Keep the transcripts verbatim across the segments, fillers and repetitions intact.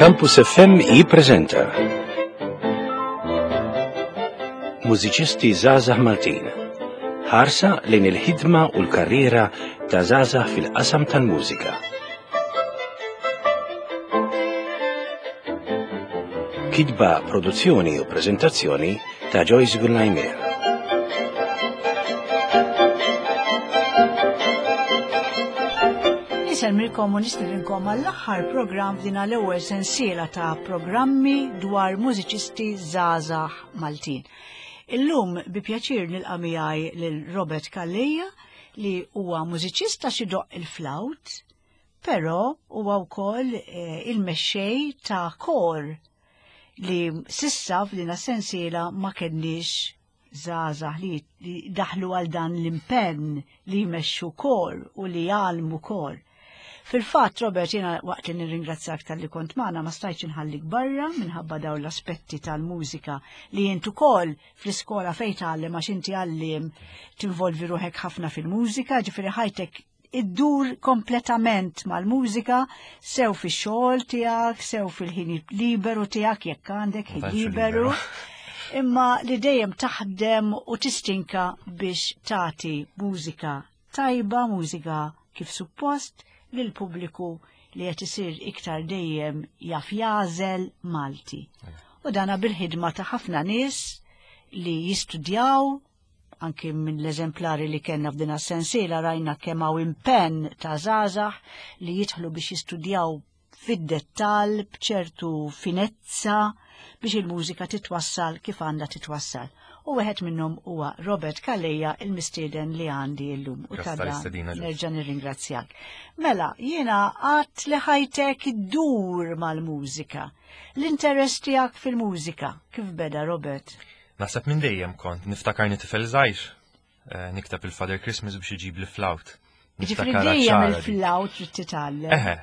Campus F M jippreżenta Mużiċisti Żgħażagħ Maltin. Ħarsa lejn il-ħidma u l-karriera ta' żgħażagħ fil-qasam tal-mużika. Kitba, produzzjoni u preżentazzjoni ta' Joyce Gullajmer. Insellmilkom u nistedinkom għall-aħħar programm f'din l-ewwel sensiela ta' programmi dwar mużiċisti żgħażagħ Maltin. Illum bi pjaċir nilqa' miegħi lil Robert Calleja, li huwa mużiċista xi doqq il-flawt, però huwa wkoll eh, il-mexxej ta' kor li s'issa f'din sensiela ma kenniex żgħażagħ li, li daħlu għal dan l-impenn li jmexxu kor u li jgħallmu kor. Fil-fatt, Robert, jiena waqt li nirringrazzjak talli kont magħna, ma stajtx inħallik barra minħabba dawn l-aspetti tal-mużika li int ukoll fl-iskola fejn tgħallem, għax inti għalliem tinvolvi ruħek ħafna fil-mużika, ġifieri ħajtek iddur kompletament mal-mużika, sew fix-xogħol tiegħek, sew fil-ħin liberu tiegħek, jekk għandek ħin liberu. Imma li dejjem taħdem u tistinka biex tagħti mużika tajba, mużika kif suppost, lil pubbliku li qed isir iktar dejjem jaf jagħżel Malti. U dana bil-ħidma ta' ħafna nies li jistudjaw, anki minn l-eżemplari li kellna f'din sensiela rajna kemm hawn impenn ta' żgħażagħ li jidħlu biex jistudjaw fid-dettall b'ċertu finezza biex il-mużika titwassal kif għandha titwassal. U wieħed minnhom huwa Robert Calleja, il-mistieden li għandi llum. U ta' nerġa' nirringrazzjak. Mela, jiena għedt li ħajtek iddur mal-mużika. L-interess tiegħek fil-mużika, kif beda, Robert? Naħseb minn dejjem kont niftakarni tifel żgħir, eh, nikteb il-Father Christmas biex iġib li flawt. Ġifieri dejjem il-flawt trid titgħallem. Eħe,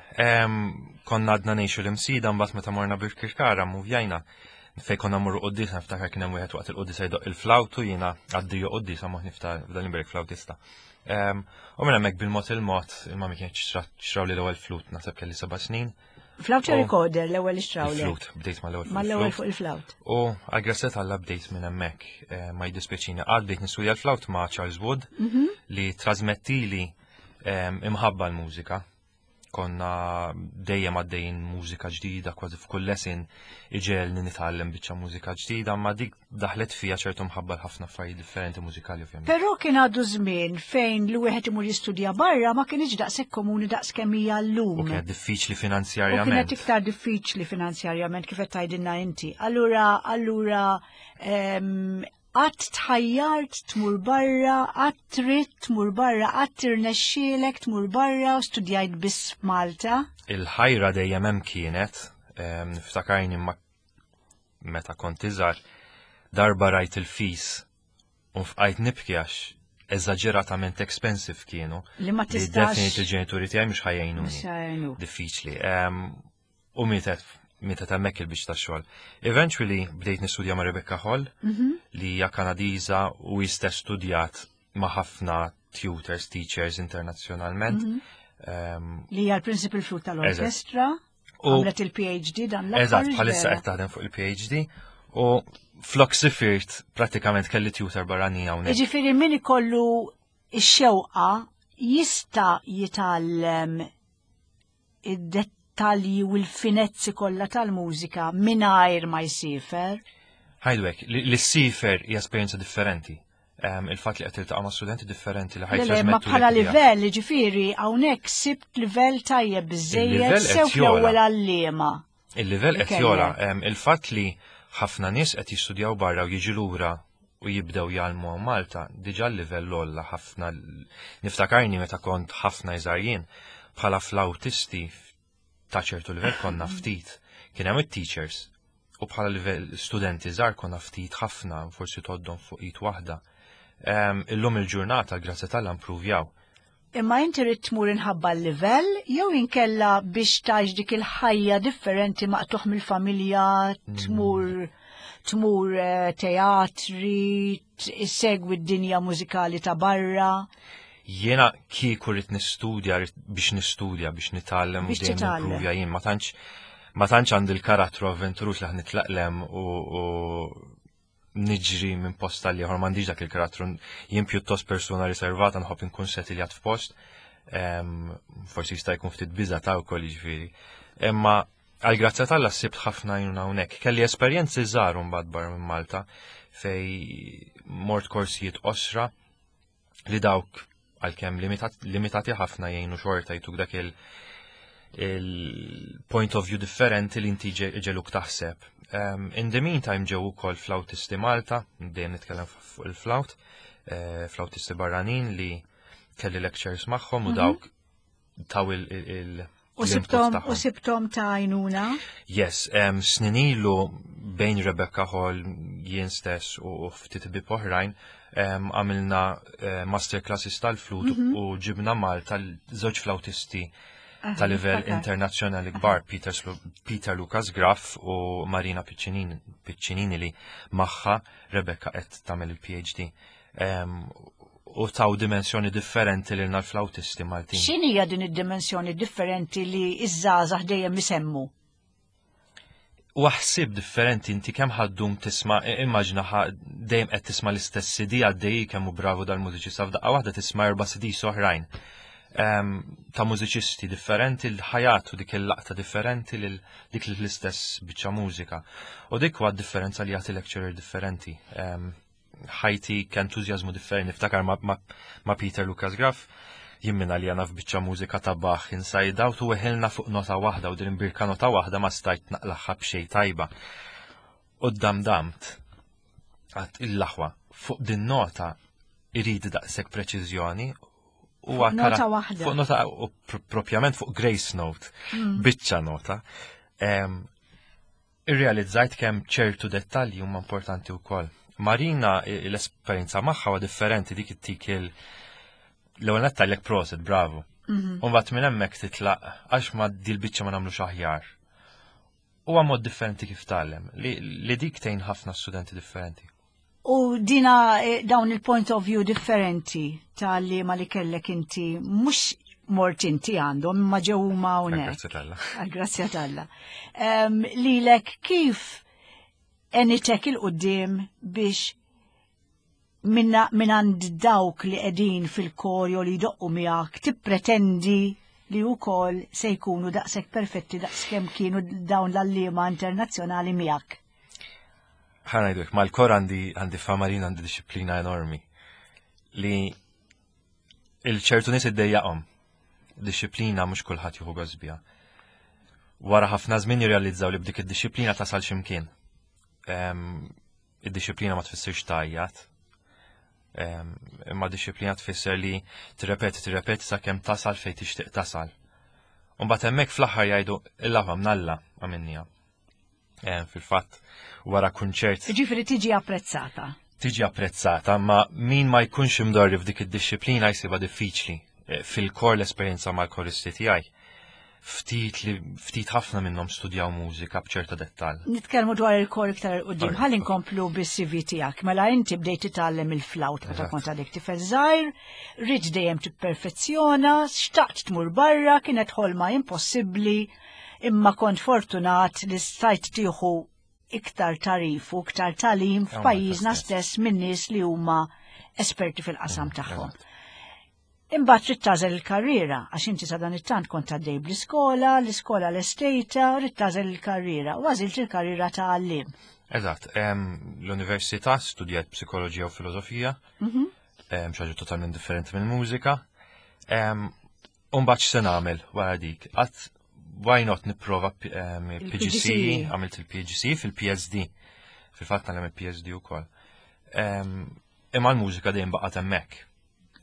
konna għadna ngħixu l-Imsida, mbagħad meta morna Birkirkara muvjajna fej konna mmorru quddiesa, niftakar kien hemm wieħed waqt il-quddiesa jdoqq il-flawtu, jiena għaddiju quddiesa moħ niftakar f'dan il flautista. U minn hemmhekk bil-mod il-mod il-mami kienet xtraw li l-ewwel flute, naħseb kelli seba' snin. Flawt recorder l-ewwel xtraw? Flute, bdejt mal-ewwel. Mal-ewwel fuq il-flawt. U għal-grazzja t'Alla bdejt minn hemmhekk, ma jiddispjaċini qatt, bdejt nistudja l-flawt ma' Charles Wood mhm. li trasmettili imħabba l-mużika. Konna dejjem għaddejjin mużika ġdida, kważi f'kull lesson iġegħelni nitgħallem biċċa mużika ġdida, ma dik daħlet fija ċertu mħabba ħafna affarijiet differenti mużikali, ovvjament. Però kien għadu żmien fejn li wieħed imur jistudja barra ma kienx daqshekk komuni daqs kemm hija llum. U kienet diffiċli finanzjarjament. U kienet iktar diffiċli finanzjarjament, kif qed tgħidilna inti. Allura, allura qatt tħajjart tmur barra, qatt trid tmur barra, qatt tirnexxielek tmur barra u studjajt biss Malta? Il-ħajra dejjem hemm kienet, niftakarni ma meta kont iżgħar, darba rajt il-fees u fqajt nibki għax eżaġeratament expensive kienu. Li ma tistax. Definitely il-ġenituri tiegħi mhux ħa jgħinuni. Diffiċli. U mietet meta hemmhekk il-biċċa ta' xogħol. Eventually bdejt nistudja ma' Rebecca Hall, mhm. li hija Kanadiża u stess studjat ma' ħafna tutors, teachers internazzjonalment. Mhm. Um, li hija l-principal flute tal-orkestra. U għamlet il-P H D dan l-aħħar. Eżatt, bħalissa qed taħdem fuq il-P H D u flok sifirt pratikament kelli tutor barrani hawnhekk. Jiġifieri min ikollu ix-xewqa jista' jitgħallem id-dettalji u l-finezzi kollha tal-mużika mingħajr ma jsifer. Ħajdwek, li ssifer hija esperjenza differenti. Il-fatt li qed tiltaqa' ma' studenti differenti li ħa Le, ma bħala livell, ġifieri hawnhekk sibt livell tajjeb biżejjed sew fl-ewwel għalliema. Il-livell qed jogħla, il-fatt li ħafna nies qed jistudjaw barra u jiġu lura u jibdew jgħallmu Malta, diġà l-livell għola ħafna. Niftakarni meta kont ħafna iżgħar jien, bħala flautisti ta' ċertu livell konna ftit. Kien hemm it-teachers u bħala livell studenti żgħar konna ftit ħafna, forsi tgħoddhom fuq id waħda. Illum il-ġurnata, grazzi t'Alla, impruvjaw. Imma inti rrid tmur inħabba l-livell jew inkella biex tgħix dik il-ħajja differenti, maqtugħ mill-familja, tmur tmur eh, teatri, issegwi d-dinja mużikali ta' barra? Jiena kieku rrid nistudja, rrid biex nistudja, biex nitgħallem u Biex dejjem titgħallem. nimpruvja jien, ma tantx Ma tantx għandi l-karattru avventuruż li ħa nitlaq 'l hemm u, u niġri minn post għal ieħor, m'għandix dak il-karattru. Jien pjuttost persuna riservata, nħobb inkun setiljat f'post. Em, Forsi jista' jkun ftit biża ta' wkoll, jiġifieri. Imma għal grazzja t'Alla sibt ħafna għajnuna hawnhekk. Kelli esperjenzi żgħar mbagħad barra minn Malta fej mort korsijiet qosra li dawk għalkemm limitat, limitati ħafna jgħinu xorta, jtuk dak il- il-point of view differenti li inti ġe- ġeluk taħseb. Um, in the meantime ġew ukoll flautisti Malta, dejjem nitkellem fuq il-flaut, eh, flautisti barranin li kelli lectures magħhom u dawk taw il- il- il- U l-input sibtom, tagħhom. U sibtom ta' għajnuna? Yes, um, snin ilu bejn Rebecca Hall, jien stess u ftit ħbieb oħrajn, um, għamilna uh, masterclasses tal-flute mm -hmm. u ġibna Malta żewġ flautisti ta' livell niftakar. internazzjonali kbar, Peter, Slu- Peter Lucas Graf u Marina Piccinini, Piccinini li magħha Rebecca qed tagħmel il-P H D. Um, u taw dimensjoni differenti lil l-flautisti Maltin. X'inhija din id-dimensjoni differenti li iż-żgħażagħ dejjem isemmu? U ħsieb differenti, inti kemm ħa ddum tisma', immaġina dejjem qed tisma' l-istess C D għaddej, kemm hu bravu dal-mużiċista, f'daqqa waħda tisma' erba' C Ds oħrajn Em, ta' mużiċisti differenti l-ħajat u dik il-laqta differenti lil dik l-istess biċċa mużika. U dik huwa differenza li jagħti lecturer differenti. Em, ħajtik entużjażmu differenti. Niftakar ma, ma, ma Peter Lucas Graf, jimmina li għana f'biċċa mużika ta' Bach Inside Out u weħilna fuq nota waħda u din birka nota waħda ma stajt naqlagħha b'xejn tajba. U dam damt, għedt il-laħwa, fuq din nota irrid daqshekk preċiżjoni. U Fuq nota waħda. Fuq nota u pr- propjament fuq grace note, biċċa nota. Em, Irrealizzajt kemm ċertu dettalji huma importanti wkoll. Marina, i- l-esperjenza magħha huwa differenti, dik ittik il l-ewwel nett tgħidlek prosit, bravo. U mbagħad minn hemmhekk titlaq għax ma dil biċċa ma nagħmlux aħjar. Huwa mod differenti kif tgħallem li, li dik tgħin ħafna studenti differenti. U dina eh, dawn il-point of view differenti tal-li ma li kellek inti, mhux mort inti għandhom, imma ġew huma hawnhekk. Grazzi t'Alla. Għal-grazzja t'Alla. Um, lilek kif għenitek 'il quddiem biex minna min għand dawk li qegħdin fil-kor jew li jdoqqu miegħek tippretendi li wkoll se jkunu daqshekk perfetti daqskemm kienu dawn l-għalliema internazzjonali miegħek? Ħa ngħidlek, mal-kor għandi għandi famarina, għandi disciplina enormi li il-ċertu nies iddejjaqhom. Disciplina mhux kulħadd jieħu gost biha. Wara ħafna żmien jirrealizzaw li b'dik id-disciplina tasal x'imkien. Em, Id-disciplina ma tfissirx tgħajjat. Em, Imma disciplina tfisser li tirrepeti, tirrepeti sakemm tasal fejn tixtieq tasal. U mbagħad hemmhekk fl-aħħar jgħidu il-laħwa mnalla għamilniha. Em, Fil-fatt, wara kunċert Ġifieri tiġi apprezzata. Tiġi apprezzata, ma min ma jkunx imdorri f'dik id-disciplina jsibha diffiċli. Eh, Fil-kor l-esperjenza mal-koristi tiegħi, ftit li ftit ħafna minnhom studjaw mużika b'ċerta dettall. Nitkellmu dwar il-kor iktar 'il quddiem. Alright. Ħalli nkomplu bis-C V tiegħek. Mela inti bdejt titgħallem il-flawt meta Eżatt. kont għadek tifel żgħir, ridt dejjem tipperfezzjona, xtaqt tmur barra, kienet ħolma impossibbli, imma kont fortunat li stajt tieħu iktar tagħrif u iktar tagħlim Malta f'pajjiżna stess. stess minn nies li huma esperti fil-qasam tagħhom. eżatt. Imbagħad trid tagħżel il-karriera, għax inti sa dan it-tant kont għaddej bl-iskola, l-iskola l-estejta, trid tagħżel il-karriera, u għażilt il-karriera ta' għalliem. Eżatt, em, l-università studjajt psikoloġija u filosofija, Mhm. em, xi ħaġa totalment differenti minn mużika. Em, U mbagħad x'se nagħmel wara dik? Għedt why not nipprova P- em, Il-P G C E. P G C E, għamilt il-P G C E fil-P S D. Fil-fatt nagħmel il-P H D ukoll. Em, Imma l-mużika dejjem baqgħet hemmhekk.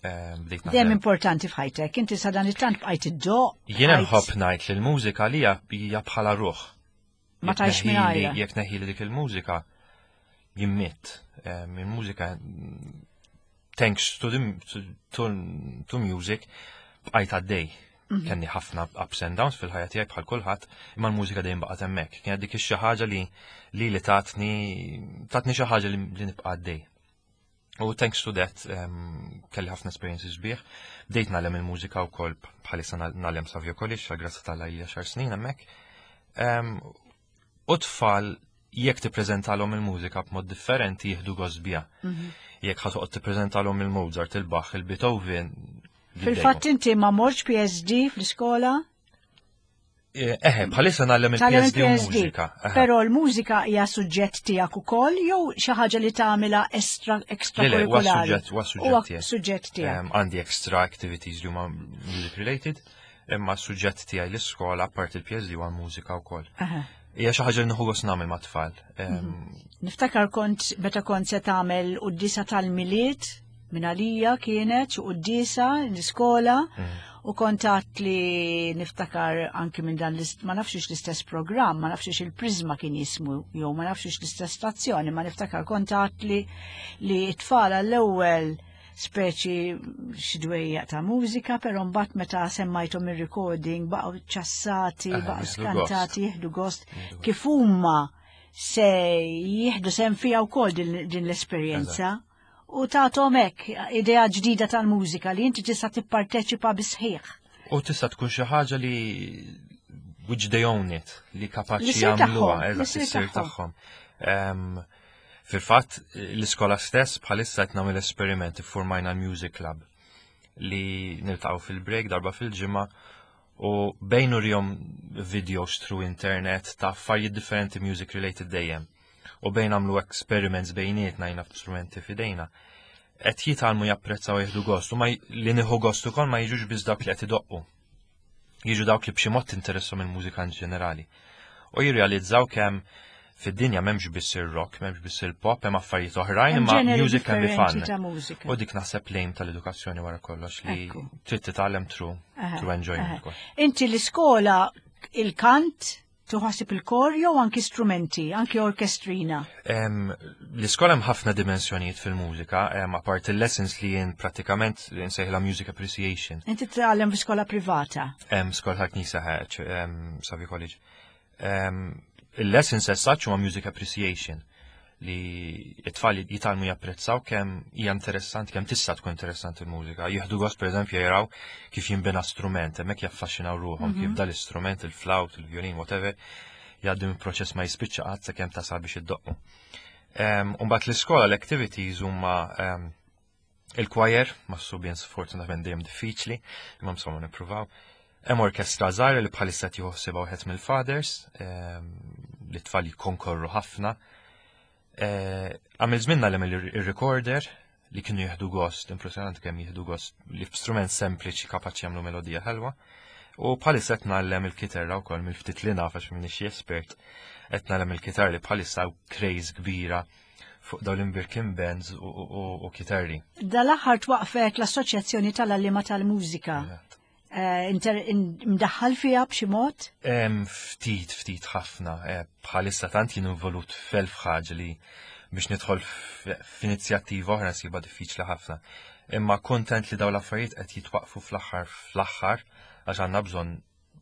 Em, Bdejt Dejjem naħdem. importanti f'ħajtek, inti sa dan it-tant bqajt iddoqq. Jiena bqajt- nħobb ngħid li l-mużika li hija hija bħala ruħ. Ma Jekk tgħix neħili- mingħajrha. Jekk neħili dik il-mużika, jien mitt. Em, Il-mużika, thanks to, the, to, to, to music, bqajt għaddej. Mhm. Kelli ħafna ups and downs fil-ħajja tiegħi bħal kulħadd, imma l-mużika dejjem baqgħet hemmhekk. Kienet dik ix-xi ħaġa li li li tatni tatni xi ħaġa li, li nibqa' għaddej. U thanks to that um, kelli ħafna experiences sbieħ. Bdejt ngħallem il-mużika wkoll, bħalissa ngħallem Savio College, għal grazzja t'Alla ili għaxar snin hemmhekk. Em, U tfal jekk tippreżentalhom il-mużika b'mod differenti jieħdu gost biha. Jekk ħa toqgħod tippreżentalhom il-Mozart, il-Bach, il-Beethoven. Fil-fatt inti ma mortx P S D fl-iskola? Eh, Eħe, bħalissa ngħallem Tgħallem il-P S D u il-P S D. mużika. Eħe. Però l-mużika hija suġġett tiegħek ukoll jew xi ħaġa li tagħmilha extra extra Le, le, huwa kurrikulari? suġġett, huwa Huwa suġġett tiegħi. suġġett tiegħek. Em, Għandi extra activities li huma music related, imma s-suġġett tiegħi l-iskola apart il-P S D huwa mużika wkoll. Aha. Hija xi ħaġa li nieħu gost nagħmel mat-tfal. Em, Niftakar kont meta kont se tagħmel quddiesa tal-Milied minn għalija, kienet xi quddiesa l-iskola, u kont għat li niftakar anki minn dan l-ist- ma nafx l-istess programm, ma nafx il-Prisma kien jismu jew ma nafx l-istess stazzjoni, ma niftakar kont għat li li t-tfal għall-ewwel speċi xi dwejjaq ta' mużika, però mbagħad meta semmajthom ir-recording baqgħu ċassati, Eh, baqgħu jieħdu skantati, jieħdu gost kif huma se jieħdu sehem fiha wkoll din, din l-esperjenza. U tagħthom hekk idea ġdida tal-mużika li inti tista' tipparteċipa bisħiħ. U tista' tkun xi ħaġa li which they own it, li Li kapaċi ssir jagħmluha, tagħhom, li eżatt, ssir issir tagħhom. tagħhom. Em, Fil-fatt, l-iskola stess bħalissa qed nagħmel esperiment, iffurmajna l-Music Club li niltaqgħu fil-break darba fil-ġimgħa u bejn nurihom videos through internet ta' affarijiet differenti music related dejjem. U bejn nagħmlu experiments bejnietna jina strumenti f'idejna. Qed jitgħallmu japprezzaw, jieħdu gost u ma j- li nieħu gost ukoll ma jiġux biss dawk li qed idoqqu. Jiġu dawk li b'xi mod tinteressahom il-mużika in ġenerali. U jirrealizzaw kemm fid-dinja m'hemmx biss ir-rock, m'hemmx biss il-pop, hemm affarijiet oħrajn, Hemm imma ġeneri music can be differenti fun. ta' mużika. U dik naħseb l-aim tal-edukazzjoni wara kollox, li Ekku. trid titgħallem through Aha, through enjoyment aha. ukoll. Inti l-iskola il-kant tuħasib il-kor jew anki strumenti, anki orkestrina? Em, L-iskola hemm ħafna dimensjonijiet fil-mużika, em, apart il-lessons li jien pratikament li nsejħilha music appreciation. Inti tgħallem fi skola privata. Em, skola ta' knisja, em, Savio College. Em, Il-lessons as such huma music appreciation, li it-tfal jitgħallmu japprezzaw kemm hija interessanti, kemm tista' tkun interessanti il-mużika. Jieħdu gost, pereżempju, jaraw kif jinbena strument, hemmhekk jaffaxxinaw ruħhom kif dal-istrument, il-flawt, il-violin, whatever, jgħaddi minn proċess ma jispiċċa qatt sakemm tasal biex iddoqqu. Um, Umbagħad l-iskola l-activities huma um, il-choir, ma' subien sfortunatament dejjem diffiċli, imma insomma nippruvaw. Hemm orkestra żgħira li bħalissa qed jieħu wieħed mill-fathers, em, li tfal jikkonkorru ħafna. Eh, Għamil żmien ngħallem il-recorder li kienu jieħdu gost, impressjonanti kemm jieħdu gost li f'strument sempliċi kapaċi jagħmlu melodija ħelwa. U bħalissa qed ngħallem il-kitarra wkoll mill-ftit li naf, għax m'iniex espert. Qed ngħallem il-kitarra li bħalissa hawn craze kbira fuq dawn l-imbierkin bands u, u, u, u kitarri. Dal-aħħar twaqfet l-Assoċjazzjoni tal-Għalliema tal-Mużika. Eh, inter- in- Mdaħħal fiha b'xi mod? Em, ftit, ftit ħafna. Eh, Bħalissa tant jien involut f'elf ħaġa li biex nidħol f- f'inizjattiva oħra nsibha diffiċli ħafna. Imma kontent li dawn l-affarijiet qed jitwaqfu fl-aħħar fl-aħħar għax għandna bżonn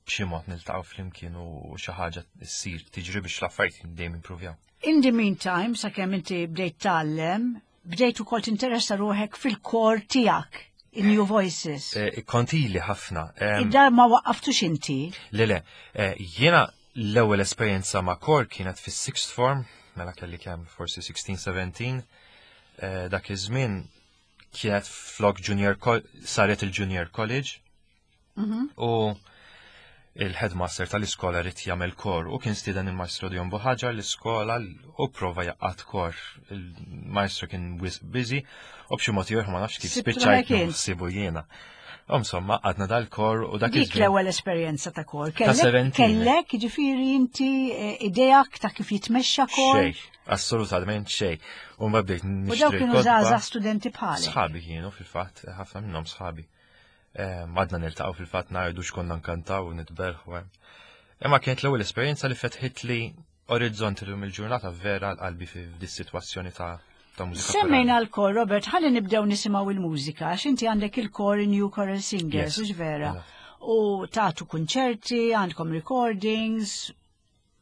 b'xi mod niltaqgħu flimkien u xi ħaġa ssir tiġri biex l-affarijiet dejjem improvjaw. In the meantime, sakemm inti bdejt tgħallem, bdejt ukoll tinteressa ruħek fil-kor tiegħek, in New Voices. Eh, Kont ili ħafna. Em, Id-dar ma waqqaftux inti. Le, le, eh, jiena l-ewwel esperjenza ma' kor kienet fis-sixth form, mela kelli kemm forsi sittax, sbatax, eh, dak iż-żmien kienet flok junior col- saret il-junior college u il-headmaster tal-iskola ried jagħmel kor u kien stieden il-maestro Dion Buhagiar l-iskola u prova jgħaqqad kor. Il-maestro kien wisq busy u b'xi mod ieħor ma nafx kif Sibtu spiċċajt kien. nsibu jiena. U insomma, għadna dal-kor u dak Dik iż-żmien. l-ewwel esperjenza ta' kor. Kellek, seventeen. kellek, ġifieri inti eh, ideak ta' kif jitmexxa kor? Xej, assolutament xej. U ma bdejt U dawk nixtri kienu kotba. żgħażagħ studenti bħalek. Sħabi kienu fil-fatt, ħafna minnhom sħabi. Eh, Għadna niltaqgħu fil-fatt, ngħidu x'konna nkantaw u nitbellhu hemm. Imma kienet l-ewwel esperjenza li fetħit li orizzonti l il-ġurnata vera l-qalbi fi dis-sitwazzjoni ta' ta' mużika. Semmejna l-kor, Robert, ħalli nibdew nisimgħu il-mużika, għax inti għandek il-kor New Choral Singers, Yes. hux vera? Eżatt. U tagħtu kunċerti, għandkom recordings,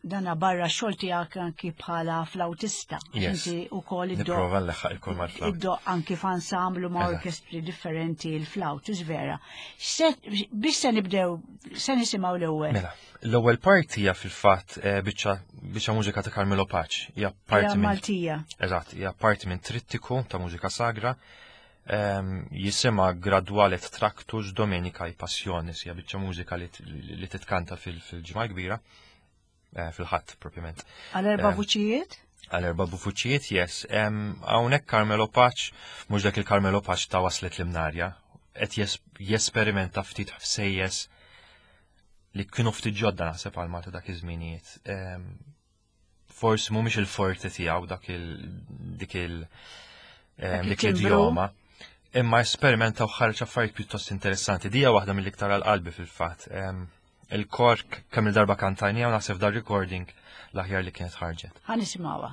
Dana barra xogħol tiegħek anki bħala flautista. Yes. Inti wkoll iddoqq Nipprova nleħħaq il-kor mal-flawt. Iddoqq anki f'ensemblu ma' Eżatt. orkestri differenti il-flawt, vera. Biex se nibdew, se nisimgħu l-ewwel. Mela, l-ewwel parti hija fil-fatt eh, biċċa biċċa mużika ta' Carmelo Pace. Hija Hija parti minn Maltija. Eżatt, hija parti minn trittiku ta' mużika sagra. Um, jisimha Graduale Tractus Domenicae Passionis, hija biċċa mużika li, li titkanta fil-ġimgħa kbira, eh, fil-ħadd propjament. Għal erba' Eh, vuċijiet? Għal erba' vuċijiet, yes. Um, Hawnhekk Carmelo Pace, mhux dak il-Carmelo Pace ta' waslet l-Imnarja, qed jes jesperimenta ftit ħsejjes li kienu ftit ġodda naħseb għal Malta dak iż-żminijiet. Um, forsi mhumiex il-forte tiegħu dak il dik il Dak em, dik il-timbru. l-idjoma. Imma esperimenta u ħareġ affarijiet pjuttost interessanti. Dija waħda mill-iktar għal qalbi fil-fatt. Em, Il-kor kemm il-darba kantajnija u naħseb dar recording l-aħjar li kienet ħarġet. Ħa nisimgħuha.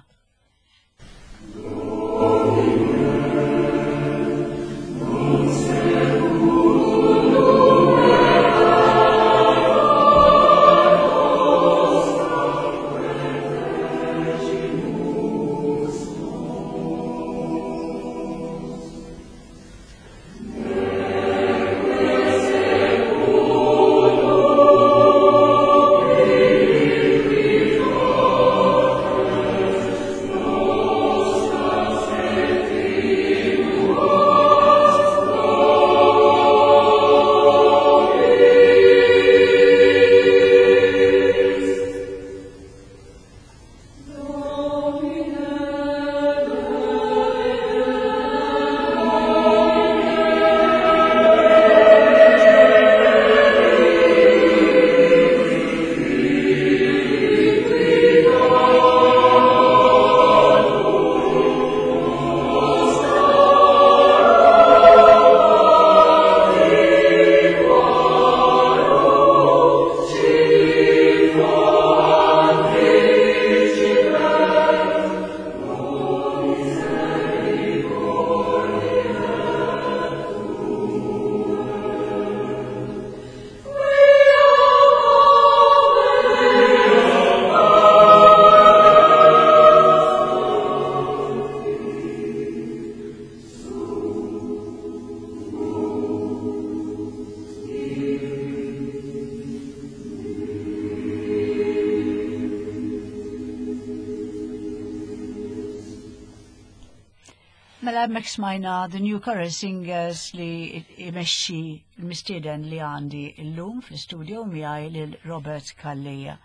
Mela hemmhekk smajna The New Choral Singers li imexxi l-mistieden li għandi illum fl-istudio miegħi lil Robert Calleja.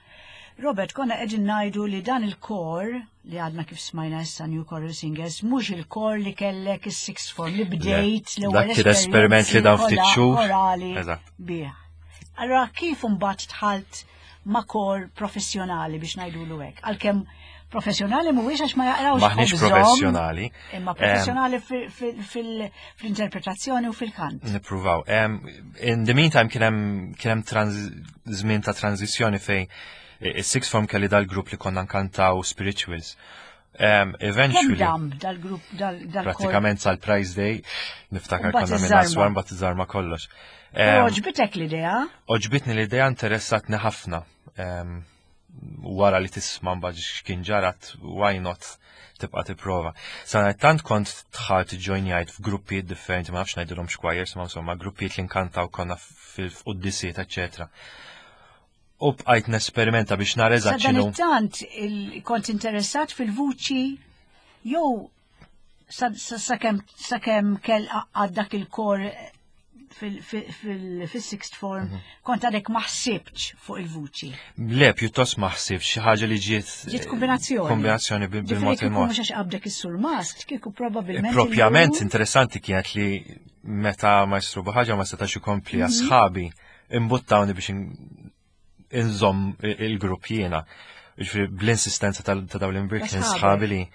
Robert, konna qegħdin ngħidu li dan il-kor li għadna kif smajna issa New Choral Singers mhux il-kor li kellek is-sixth form li bdejt l-ewwel Dak kien esperiment li dan ftit xhur. korali Eżatt. bih. Allora kif imbagħad dħalt ma' kor professjonali biex ngħidulu hekk? Għalkemm professjonali mhuwiex għax ma jaqrawx Maħniex ħobżhom, professjonali. Imma professjonali fil- fil- fil- fl-interpretazzjoni u fil-kant. Nippruvaw. Um, in the meantime kien hemm kien hemm trans- żmien ta' tranzizzjoni fej is-sixth form kelli dal-grupp li konna nkantaw spirituals. Um, Kemm eventually, dam dal-grupp dal- dal-kor? pratikament sal-Prize Day, niftakar Mbagħad konna minn iżżarma. Aswan mbagħad iżarma kollox. Però Um, Għoġbitek l-idea? Għoġbitni l-idea interessatni ħafna. Um, wara li tisma' mbagħad x'kien ġarat, why not tibqa' tipprova. Sadanittant kont dħalt ġojnjajt f'gruppijiet differenti, ma nafx ngħidilhom choirs, ma insomma gruppijiet li nkantaw konna fil-quddisiet, eċetera. U bqajt nesperimenta biex nara eżatt x'inhu. Sadanittant il- kont interessat fil-vuċi jew sa- sa- sakemm sakemm kell għad dak il-kor fil-sixth form Mhm. kont għadek ma ħsibx fuq il-vuċi. Le, pjuttost ma ħsibx xi ħaġa li ġiet Ġiet kombinazzjoni. Kombinazzjoni bil- Ġifieri bil-mod kieku il-mod. mhux għax qabdek is-surmast, kieku probabbilment. Propjament illum- interessanti kienet li meta Maestru Buhaġa ma setax ikompli Mhm. sħabi imbuttawni biex in- inżomm il-grupp jiena. Ġifieri bl-insistenza tal- ta' dawn l-imbrikin Ta' sħabek. sħabi li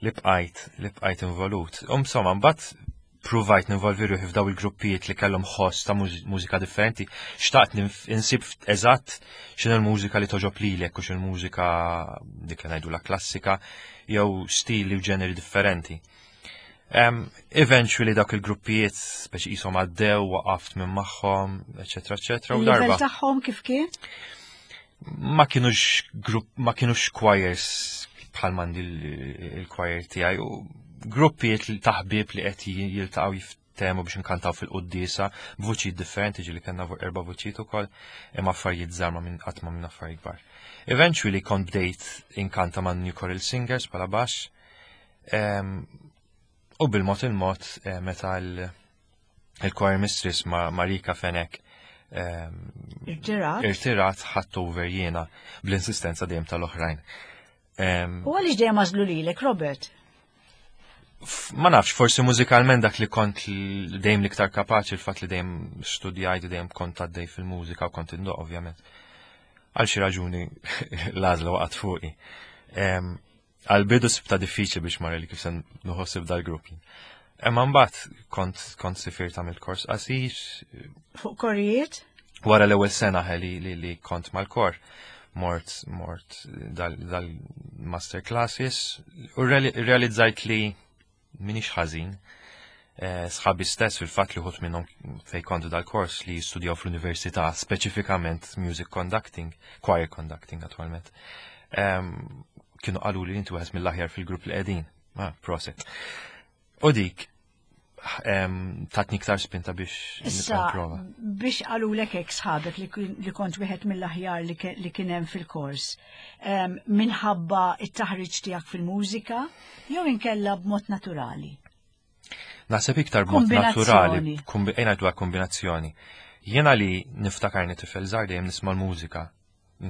li bqajt li bqajt involut. U insomma, mbagħad provajt ninvolvi ruħi f'daw il-gruppijiet li kellhom ħoss ta' muż- mużika differenti. Xtaqt ninf- insib eżatt x'inhu l-mużika li toġob lilek u x'inhu l-mużika dik li ngħidu la klassika jew stili u ġeneri differenti. Um, eventually dak il-gruppijiet speċi qishom għaddew, waqaft minn magħhom, eċetera, eċetera, u Il-livell darba. tagħhom kif kien? Ma kienux grupp, ma kienux choirs bħal m'għandi il-choir tiegħi u gruppijiet ta' ħbieb li qed jiltaqgħu jiftehmu biex nkantaw fil-quddiesa b'vuċijiet differenti, ġieli kellna erba' vuċijiet ukoll, imma affarijiet żgħar, ma minn qatt ma minn affarijiet kbar. Eventually kont bdejt inkanta ma' New Choral Singers bħala baxx. U bil-mod il-mod, eh, meta il-choir mistress ma' Marika Fenek Irtirat. irtirat, ħadt over jiena bl-insistenza dejjem tal-oħrajn. U għaliex dejjem għażlu lilek, Robert? Ma nafx, forsi mużikalment dak li kont dejjem l-iktar kapaċi, il-fatt li dejjem studjajt, dejjem kont għaddej fil-mużika u kont indoq, ovvjament. Għal xi raġuni l-għażla waqgħet fuqi. Għal-bidu sibtha diffiċli biex marri li kif se nħossib dal-grupp. Imma mbagħad kont kont sifirt, għamilt kors qasir. Fuq korijiet? Wara l-ewwel sena li, li, li kont mal-kor, mort mort dal-master classes u realizzajt li m'iniex ħażin. Eh, sħabi stess fil-fatt li uħud minnhom fej kontu dal-kors li jistudjaw fl-università speċifikament music conducting, choir conducting attualment. Kienu qalu li inti wieħed mill-aħjar fil-grupp li qegħdin. Ah, prosit. U dik tatni iktar spinta biex Issa, biex qalulek hekk sħabek li kont wieħed mill-aħjar li kien hemm fil-kors, minħabba it-taħriġ tiegħek fil-mużika jew inkella b'mod naturali? Naħseb iktar b'mod naturali, ejna dwar kombinazzjoni. Jiena li niftakarni tifel żgħar dejjem nisma' l-mużika.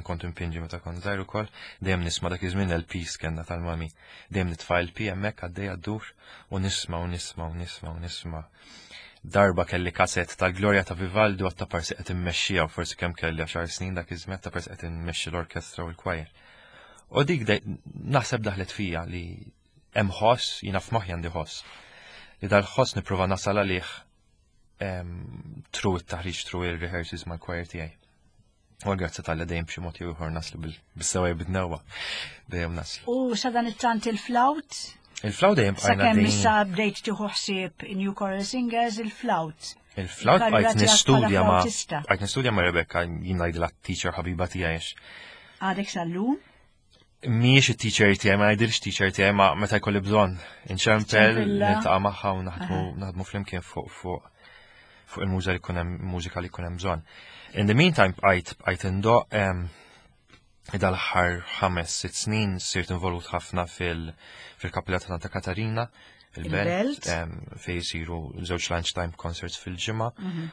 Kont impinġi meta kont żgħir ukoll, dejjem nisma' dak iż-żmien L Ps kellna tal-mami. Dejjem nitfa' L P hemmhekk għaddej għaddur u nisma' u nisma' u nisma' u nisma'. Darba kelli kaset tal-Glorja ta' Vivaldi u għatta parsi qed immexxija, u forsi kemm kelli għaxar snin dak iż-żmien, ta' parsi qed immexxi l-orkestra u l-choir. U dik naħseb daħlet fija li hemm ħoss, jiena f'moħħi għandi ħoss. Li dal-ħoss nipprova nasal għalih through it-taħriġ, through il-rehearsals mal-choir tiegħi. U grazzi talli dejjem b'xi mod jew ieħor naslu bis-sewwa bid-newwa. Dejjem naslu. U sa dan it-tant il-flawt? Il-flawt dejjem bqajna. Sakemm issa bdejt tieħu ħsieb New Choral Singers, il-flawt. Il-flawt bqajt nistudja ma' bqajt nistudja ma' Rebecca, jien ngħidilha teacher ħabiba tiegħi. Għadek sal-lum? Mhijiex it-teacher tiegħi, ma ngħidilx teacher tiegħi, ma meta jkolli bżonn inċempel, niltaqa' magħha u naħdmu naħdmu flimkien fuq fuq fuq il-mużika li jkun hemm mużika li jkun hemm bżonn. In the meantime bqajt bqajt indoq. Dal-aħħar ħames sitt snin sirt involut ħafna fil-Kappella ta' Santa Katarina, il-Belt, fej jisiru żewġ lunchtime concerts fil-ġimgħa. Mhm.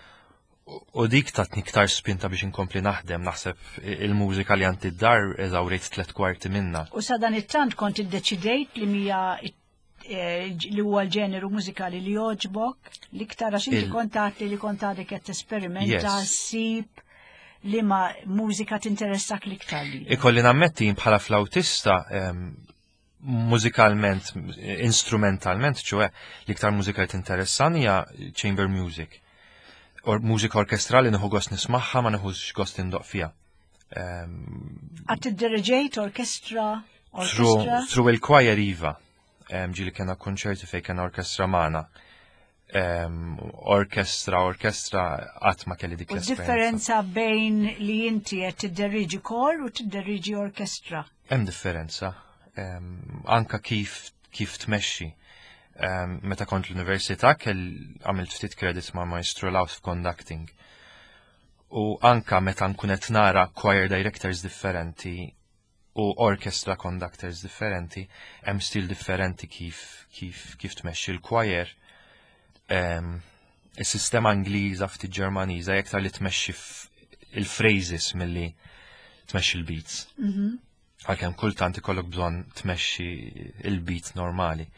U dik tatni iktar spinta biex inkompli naħdem, naħseb il-mużika li għandi d-dar eżawrejt tlet kwarti minna. U sa dan it-tant kont iddeċidejt li mija eh, li huwa l-ġeneru mużikali li joġbok, l-iktar, għax inti kont għedt li kont għadek qed tesperimenta, ssib li ma mużika tinteressak l-iktar li. Ikolli nammetti bħala flautista, mużikalment, instrumentalment, ċoè, l-iktar mużika li tinteressani hija chamber music. Or mużika orkestrali nieħu gost nismagħha, ma nieħux gost indoq fiha. Qatt iddiriġejt orkestra? Through il-choir iva. Ġieli kellna konċerti fej kena orkestra magħna. Orkestra, orkestra qatt ma kelli dik l-esperjenza. Differenza bejn li inti qed tidderiġi kor u tidderiġi orkestra? Hemm differenza. Anka kif kif tmexxi. Meta kont l-università kell għamilt ftit credits ma' Maestro Laus f'conducting. U anka meta nkun qed nara choir directors differenti u orchestra conductors differenti, hemm stil differenti kif kif kif tmexxi l-choir. Is-sistema Ingliża, ftit Ġermaniża, iktar li tmexxi il-phrases milli tmexxi l-beats. Mhm. Għalkemm kultant ikollok bżonn tmexxi il-beats normali.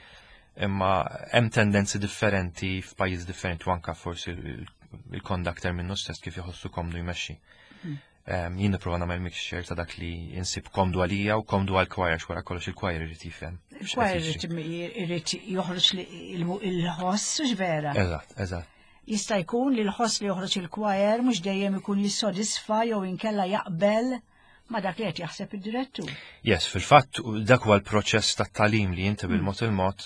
Imma hemm tendenzi differenti f'pajjiż differenti u anka forsi il-conductor minnu stess kif jħossu komdu jmexxi. Hmm. Jien nipprova nagħmel mixture ta' dak li insib komdu għalija u komdu għal choir, wara kollox il-choir irid jifhem. Il-choir irid joħroġ il-ħoss, vera. Eżatt, eżatt. Jista' jkun li l-ħoss li joħroġ il-choir mhux dejjem ikun jissodisfa jew inkella jaqbel ma dak li qed jaħseb id-direttur. Yes, fil-fatt dak huwa l-proċess tat-tagħlim li inti bil-mod il-mod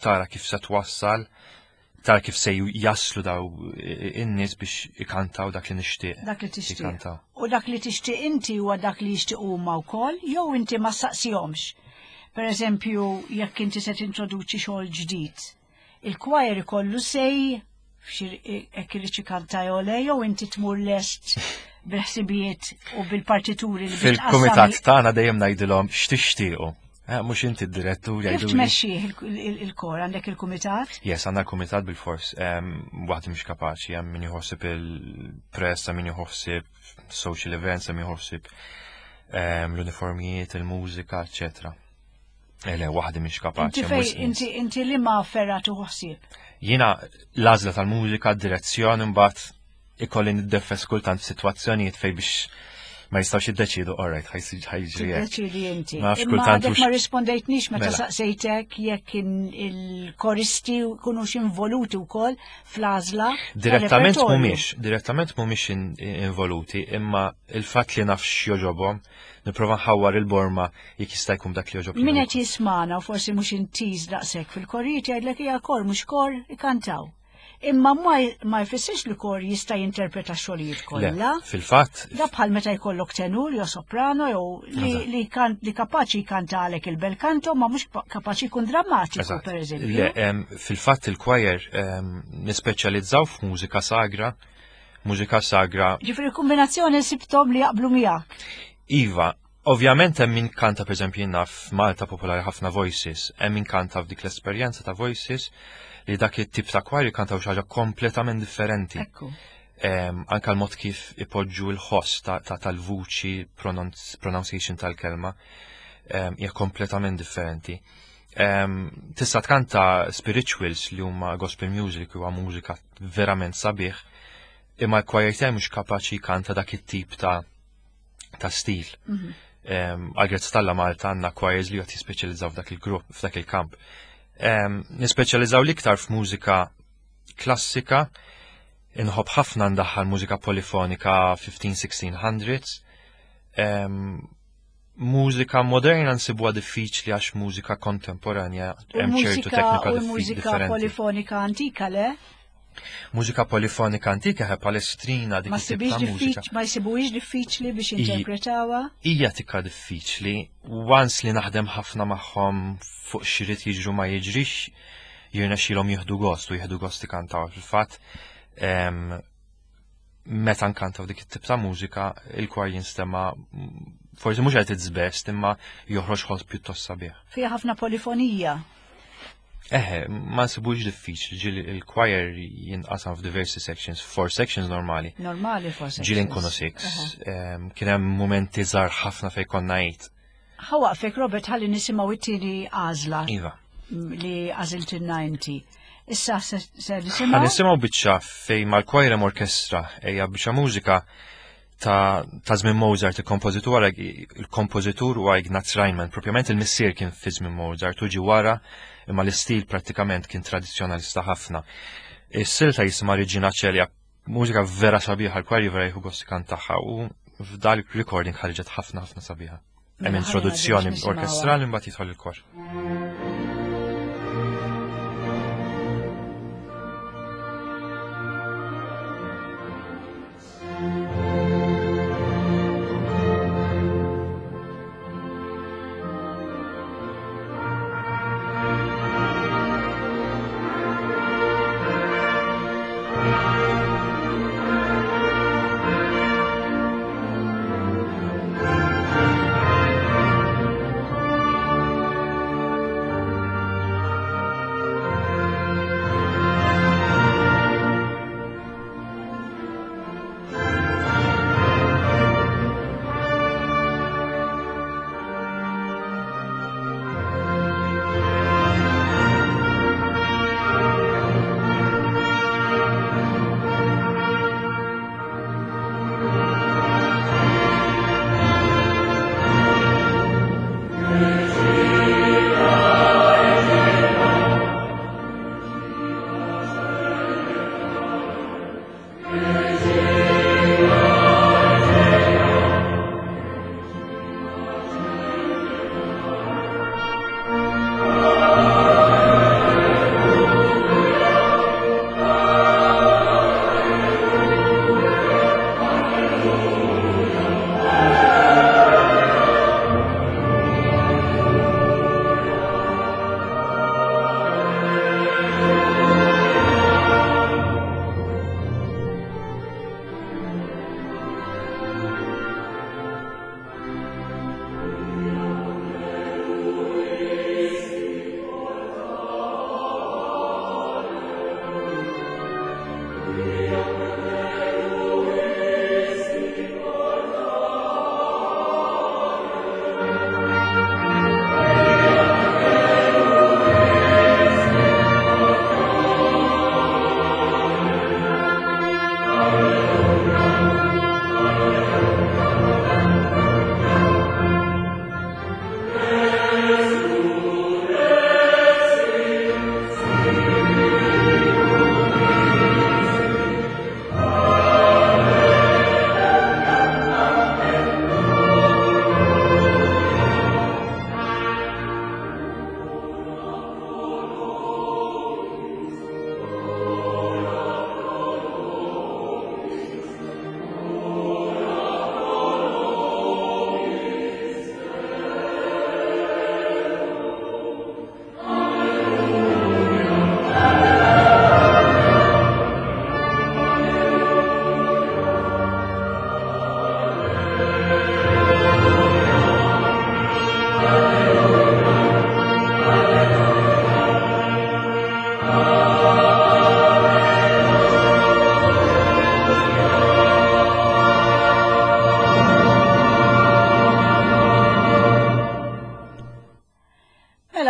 tara kif se twassal Tara kif se jaslu daw in-nies biex ikantaw dak li nixtieq. Dak li tixtieq. U dak li tixtieq inti huwa dak li jixtieq huma wkoll, jew inti ma saqsihomx. Per eżempju, jekk inti se tintroduċi xogħol ġdid, il-choir ikollu say jekk irid ikanta jew le, jew inti tmur lest bil-ħsibijiet u bil-partituri li Fil-kumitat tagħna dejjem ngħidilhom x'tixtiequ. Eh, mhux inti d-direttur Kif jgħidu. tmexxih il-kor għandek il-kumitat? Yes, għandna l-kumitat bil-fors. Waħdi mhux kapaċi, hemm min jħossib il-press, hemm min jħossib social events, hemm min jħossib l-uniformijiet, il-mużika, eccetera. Ele, waħdi mhix kapaċi. Inti fej, inti inti li ma ferra tuħsib. Jiena l-għażla tal-mużika, direzzjoni, mbagħad ikolli niddeffes kultant f'sitwazzjonijiet fej biex ma jistgħux jiddeċidu, all right, ħa jiġri hekk. Tiddeċidi inti. Ma nafx Imma kultant għadek hux- ma rispondejtnix meta Mela. saqsejtek jekk in- il-koristi kunux involuti wkoll fl-għażla. Direttament tal-repertorju. mhumiex, direttament mhumiex in- involuti, imma il-fatt li naf x'joġobhom, nipprova nħawwar il-borma jekk jista' jkun dak li joġob. Min qed jismana u forsi mhux intiż daqshekk fil-korijiet jgħidlek hija kor mhux kor ikantaw. Imma ma ma jfissirx li kor jista' jinterpreta xogħlijiet kollha. Fil-fatt, Da bħal meta jkollok tenur jew soprano jew li, Eżatt. li, kan, li kapaċi jkanta għalek il-bel canto ma mhux pa- kapaċi jkun drammatiku Eżatt. per eżempju. Le, em, fil-fatt il-choir em, nispeċjalizzaw f'mużika sagra, mużika sagra. Ġifieri kombinazzjoni sibtom li jaqblu miegħek. Iva, ovvjament hemm min kanta pereżempju jiena f'Malta popolari ħafna voices, hemm min kanta f'dik l-esperjenza ta' voices li dak it-tip ta' choir jkantaw xi ħaġa kompletament differenti. Ekku. Em, anka l-mod kif ipoġġu l-ħoss ta' ta' tal-vuċi, pronunci- pronunciation tal-kelma, em, hija kompletament differenti. Em, Tista' tkanta spirituals li huma gospel music huwa mużika verament sabiħ, imma l-choir tiegħi mhux kapaċi jkanta dak it-tip ta' ta' stil. Mhm. Em, Għal-grazzi t'Alla Malta għandna choirs li qed jispeċjalizzaw f'dak il-grupp, f'dak il-kamp. Em, Nispeċjalizzaw l-iktar f'mużika klassika, inħobb ħafna ndaħħal mużika polifonika fifteen sixteen hundreds. Em, Mużika moderna nsibuha diffiċli għax mużika kontemporanja U hemm ċertu mużika teknika u diffi- mużika differenti. polifonika antika le? Mużika polifonika antika ħe Palestrina dik Ma it-tip sibix ta' mużika. diffiċ, ma jsibuhiex diffiċli biex I- interpretawha? Hija tikka diffiċli, once li naħdem ħafna magħhom fuq x'irid jiġru ma jiġrix, jirnexxilhom jieħdu gost u jieħdu gost ikantaw. Fil-fatt, em, meta nkantaw dik it-tip ta' mużika, il-kwar jinstema' mm, forsi mhux qed its best, imma joħroġ ħoss pjuttost sabiħ. Fiha ħafna polifonija. Eħe, ma nsibux diffiċli, ġieli il-choir jinqasam f'diversi sections, four sections normali. Normali forsi. Ġieli nkunu six. Em, Kien hemm momenti żgħar ħafna fejn konna eight. Ħa nwaqqfek Robert ħalli nisimgħu it-tieni għażla Iva. li għażiltilna inti. Issa se se Ħa nisimgħu nisimgħu biċċa fej mal-choir hemm orkestra, hija biċċa mużika ta' ta' żmien Mozart, il-kompożitur il-kompożitur huwa Ignaz Reinmann, propjament il-missier kien fi żmien Mozart u ġi wara imma l-istil prattikament kien tradizzjonalista ħafna. Is-silta jisimha Regina Coeli, mużika vera sabiħa, l-choir vera jieħu gost tagħha u f'dal recording ħarġet ħafna ħafna sabiħa. Hemm Mela, introduzzjoni ħalli nisimgħuha. orkestrali mbagħad jidħol il-kor. Thank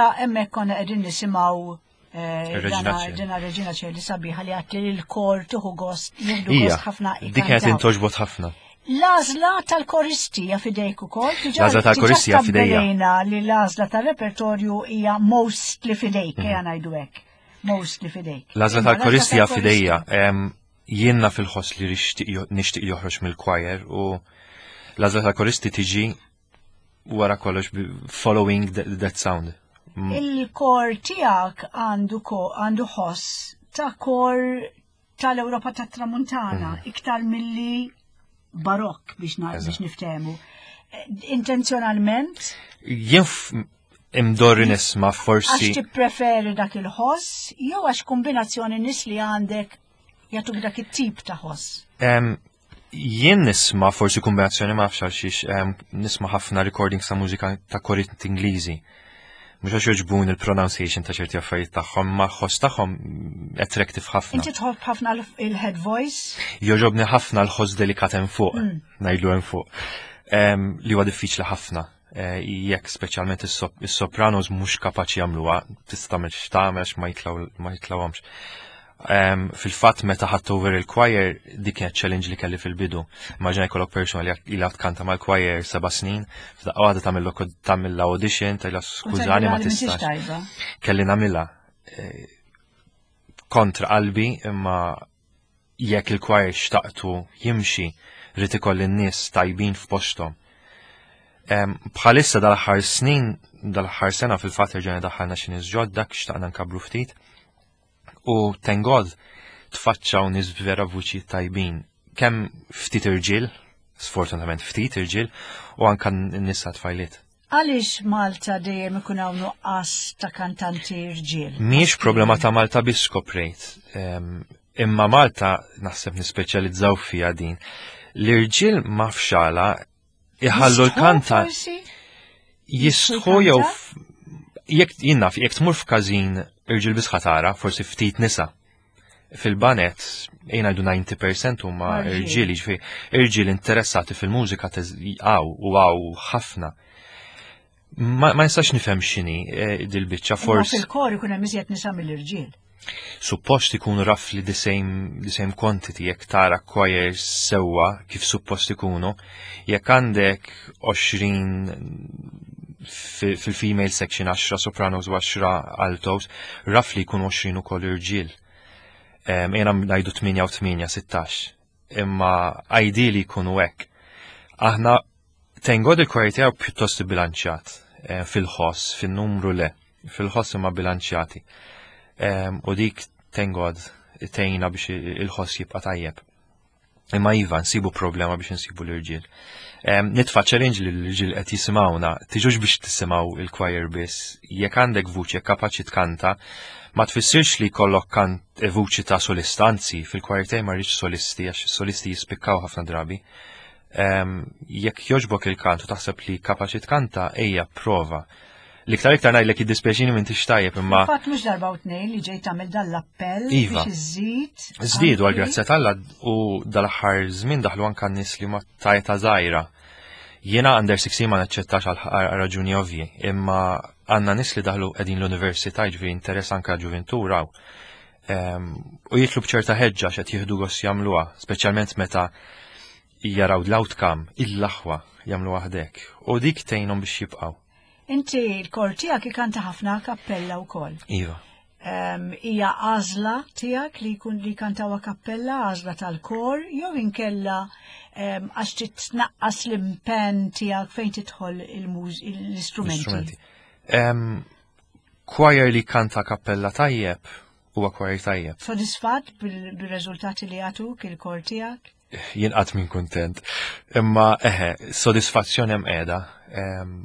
Mela hemmhekk konna qegħdin nisimgħu eh, Ir-Reġina dana- Ċeli. dina Reġina Ċeli sabiħa li għatti li l-kor tieħu gost, jieħdu Ija, gost ħafna dik kienet ikantaw. intoġbot ħafna. L-għażla tal-koristi hija fidejk ukoll. Diġà- L-għażla tal-koristi hija diġà fidejja. stabbilejna li l-għażla tal-repertorju hija mostly fidejk, ejja ngħidu hekk. Mostly fidejk. Mhm. L-għażla Imma tal-koristi hija tal-koristi- fidejja. Em, Jien naf il-ħoss li rixtieq jo- nixtieq joħroġ mill-choir u l-għażla tal-koristi tiġi wara kollox bi- following that, that sound. Mm. Il-kor tiegħek għandu ko- għandu ħoss ta' kor tal-Ewropa tat-Tramuntana, iktar milli barokk biex na- Mhm. Eżatt. biex niftehmu. Eh, Intenzjonalment, Jien f- imdorri nisma' forsi għax tippreferi dak il-ħoss, jew għax kombinazzjoni nies li għandek jagħtuk dak it-tip ta' ħoss. Em, Jien nisma' forsi kombinazzjoni ma nafx għal xiex em, nisma' ħafna recordings ta' mużika ta' korijiet Ingliżi. Mhux għax jogħġbuni il-pronunciation ta' ċerti affarijiet tagħhom, ma ħoss tagħhom attractive ħafna. Inti tħobb ħafna l- il-head voice, Jogħġobni ħafna l-ħoss delikat hemm fuq, ngħidlu hemm fuq. Em, Li huwa diffiċli ħafna. Eh, Jekk speċjalment is-sop- is-sopranos mhux kapaċi jagħmluha, tista' tagħmel x'tagħmel għax ma jitlgħu ma jitlgħuhomx. Um, fil-fatt meta ħadt over il-choir dik kienet challenge li kelli fil-bidu. Immaġina jkollok persona li ilha tkanta mal-choir seba' snin, f'daqqa waħda tagħmel tagħmel audition, tgħidilha u skużani ma tgħidilha li m'intix tistax. tajba. Kelli nagħmilha eh, kontra qalbi imma jekk il-choir xtaqtu jimxi rrid ikolli n-nies tajbin f'posthom. Em, Bħalissa dal-aħħar snin, dal-aħħar sena fil-fatt erġajna daħħalna xi nies ġodda xtaqna nkabru ftit. U thank God tfaċċaw nies vera vuċi tajbin. Kemm ftit irġiel, sfortunatament ftit irġiel, u anka n-nisa tfajliet. Għaliex Malta dejjem ikun hawn nuqqas ta' kantanti rġiel? Mhijiex problema ta' Malta biss skoprejt. Em, Imma Malta naħseb nispeċjalizzaw fija din. L-irġiel ma fxala iħallu l-kanta Forsi? jistħu jew f- jekk jien naf, jekk tmur f'każin irġiel biss ħa tara, forsi ftit nisa. Fil-baned, ejja ngħidu disgħin fil-mija huma Irġiel. irġiel, jiġifieri irġiel interessati fil-mużika għaw u għaw ħafna. Ma, ma nistax nifhem x'inhi eh, dil-biċċa Imma forsi fil-kor ikun hemm iżjed nisa mill-irġiel. Suppost ikunu roughly the same, the same quantity jekk tara choirs sewwa kif suppost ikunu. Jekk għandek għoxrin fi- fil-female section, għaxra sopranos u għaxra altos, roughly jkunu għoxrin ukoll irġiel. Um, Ejja ngħidu tmienja u tmienja, sittax. Imma ideally jkunu hekk. Aħna thank God il-choir tiegħu pjuttost bilanċjat eh, fil-ħoss, fil-numru le, fil-ħoss imma bilanċjati. Um, u dik, thank God, tgħinna biex il-ħoss jibqa' tajjeb. Imma iva, nsibu problema biex nsibu l-irġiel. Um, nitfa challenge li l-irġiel qed jisimgħuna, tiġux biex tisimgħu il-choir biss. Jekk għandek vuċi, jekk kapaċi tkanta, ma tfissirx li jkollok kant eh, vuċi ta' solista, anzi, fil-choir tiegħi ma rridx solisti, għax solisti jispikkaw ħafna drabi. Um, jekk jogħġbok il-kant u taħseb li kapaċi tkanta, ejja prova. L-iktar iktar ngħidlek jiddispjaċini m'intix tajjeb imma Fatt mhux darba u tnejn li ġejt tagħmel dan l-appell Iva. biex iżid. Żdiedu għal anki- grazzja t'Alla u dal-aħħar żmien daħlu anka nies li ma tajta żgħira. Jiena under sixteen ma naċċettax għal għal raġuni ovvji, imma għandna nies li daħlu qegħdin l-università, ġifieri interess anka ġuventur hawn. Em, U jitlu b'ċerta ħeġġa x'qed jieħdu gost jagħmluha, speċjalment meta jaraw l-outcome, il-laħwa jagħmlu waħdek. U dik tgħinhom biex jibqgħu. Inti l-kor tiegħek ikanta ħafna kappella wkoll. Iva. Em, Hija għażla tiegħek li jkun li kantaw a cappella, għażla tal-kor, jew inkella em, għax titnaqqas l-impenn tiegħek fejn tidħol il-muż l-istrumenti. L-istrumenti. Em, Choir li kanta kappella tajjeb huwa choir tajjeb. Sodisfatt bil- bil-riżultati li jagħtuk il-kor tiegħek? Jien qatt minn kuntent. Imma eħe, sodisfazzjon hemm qiegħda. Em,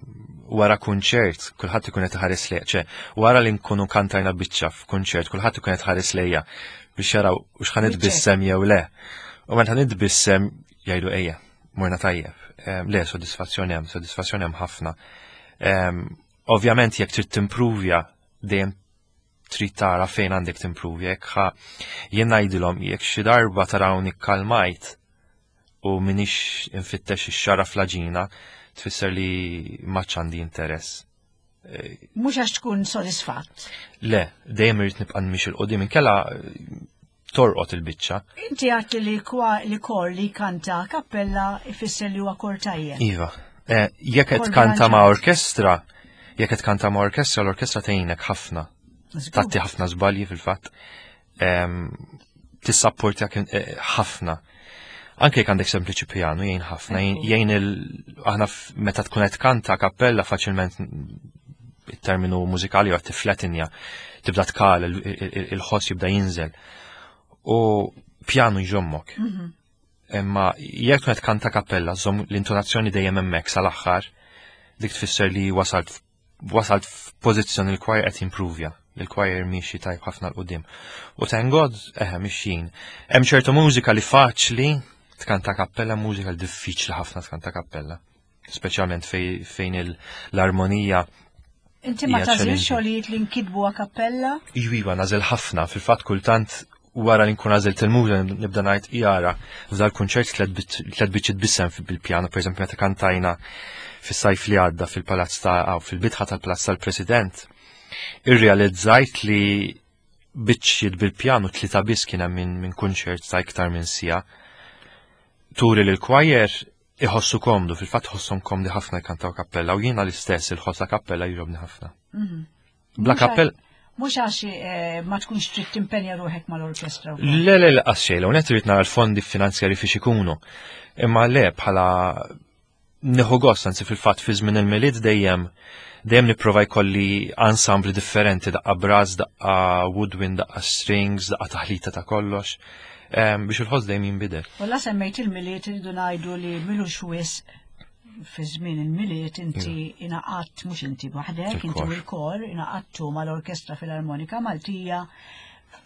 Wara kunċert, kulħadd ikun qed iħares lejja, ċe, wara li nkunu kantajna biċċa f'kunċert, kulħadd ikun qed iħares lejja biex jaraw u x'ħa nitbissem jew le. U meta nitbissem jgħidu ejja, morna tajjeb. Em, Le, sodisfazzjon hemm, sodisfazzjon hemm ħafna. Em, Ovvjament jekk trid timpruvja dejjem trid tara fejn għandek timpruvja, jekk ħa jien ngħidilhom jekk xi darba tarawni kalmajt u minix infittex ix-xara fl-għaġina, tfisser li m'għadx għandi interess. Mhux għax tkun sodisfatt. Le, dejjem irrid nibqa' miexi 'l quddiem, inkella torqod il-biċċa. Inti għedt li kwa li kor li kanta kappella ifisser li huwa kor tajjeb. Iva. Eh, jekk qed Kor kanta ma' bilanċat. orkestra, jekk qed kanta ma' orkestra, l-orkestra tgħinek ħafna. Żgur. Tagħti ħafna żbalji fil-fatt. Em, Tissapportjak eh, ħafna. Anke jekk għandek sempliċi piano jgħin ħafna, jgħin- jgħin il aħna f- meta tkun qed kanta kappella faċilment il-terminu mużikali huwa tiflatinja, tibda tkal, il- il- il-ħoss jibda jinżel. U piano jżommok. Imma jekk tkun qed kanta kappella, żomm l-intonazzjoni dejjem hemmhekk sal-aħħar, dik tfisser li wasalt wasalt f'pożizzjoni il-choir qed jimprovja. Il-choir miexi tajb ħafna 'l quddiem. U thank God, eħe, mixjin. Hemm ċertu mużika li faċli tkanta kappella, mużika li diffiċli ħafna tkanta kappella. Speċjalment fej, fejn il- l-armonija Inti ma hija tagħżilx challenging. xogħlijiet li nkitbu a cappella? Iva, nagħżel ħafna, fil-fatt kultant wara li nkun għażilt il-mużika nibda ngħid jara f'dal kunċert tliet biċċiet biss hemm bil-pjano, pereżempju meta kantajna fis-sajf li għadda fil-palazz ta' aw, fil-bitħa tal-palazz tal-President, irrealizzajt li biċċiet bil-pjano tlieta biss kien hemm minn min kunċert ta' iktar minn siegħa. Turi li l-choir iħossu komdu, fil-fatt ħosshom komdi ħafna jkantaw kappella u jiena l-istess il-ħoss ta' kappella jogħġobni ħafna. Bla Mhux kappella Mhux għax eh, ma tkunx trid timpenja ruħek mal-orkestra. wkoll. Le, le, le, għax xejn, u net irrid nara l-fondi finanzjari fiex ikunu. Imma le, bħala nieħu gost, anzi fil-fatt fi żmien il-Milied dejjem dejjem nipprova jkolli ensemble differenti, daqqa brass, daqqa woodwind, daqqa strings, daqqa taħlita ta' kollox, em, biex il-ħoss dejjem jinbidel. U la semmejt il-Milied, irridu ngħidu li m'ilux wisq fi żmien il-Milied inti ingħaqadt, mhux inti waħdek, inti u Il-kor. l-kor ingħaqadtu mal-Orkestra Filarmonika Maltija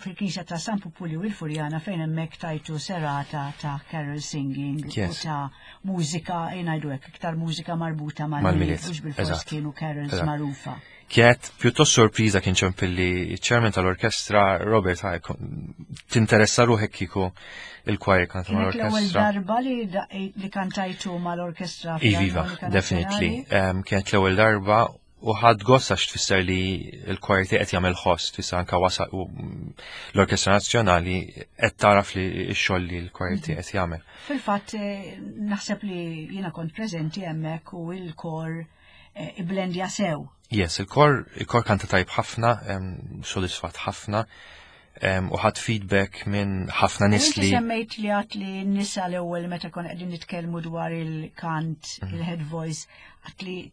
fil-Knisja ta' San Pupulju il-Furjana fejn hemmhekk tajtu serata ta' carol singing u Yes. ta' mużika, ngħidu hekk, iktar mużika marbuta mal-Milied, Mal-Milied, mhux bil-fors eżatt. kienu carols Eżatt. magħrufa. Kienet pjuttost sorpriża kien ċempilli chairman tal-orkestra Robert ħaj, tinteressa ruħek kieku il-choir kanta Kienet l-ewwel mal-orkestra. darba li da- li kantajtu mal-Orkestra Iviva, Filarmonika definitely. Nazzjonali? Um, kienet l-ewwel darba u ħadt gost għax tfisser li l-choir qed jagħmel ħoss, tfisser anka wasal u l-Orkestra Nazzjonali qed taraf li x-xogħol li l-choir qed jagħmel. Fil-fatt eh, naħseb li jiena kont preżenti hemmhekk u il-kor eh, iblendja sew. Yes, il-kor il-kor kanta tajb ħafna, em, sodisfatt ħafna, em, u ħadt feedback minn ħafna nies Inti li semmejt li għedt li n-nisa l-ewwel meta kon qegħdin nitkellmu dwar il-kant, Mhm. il-head voice, għedt li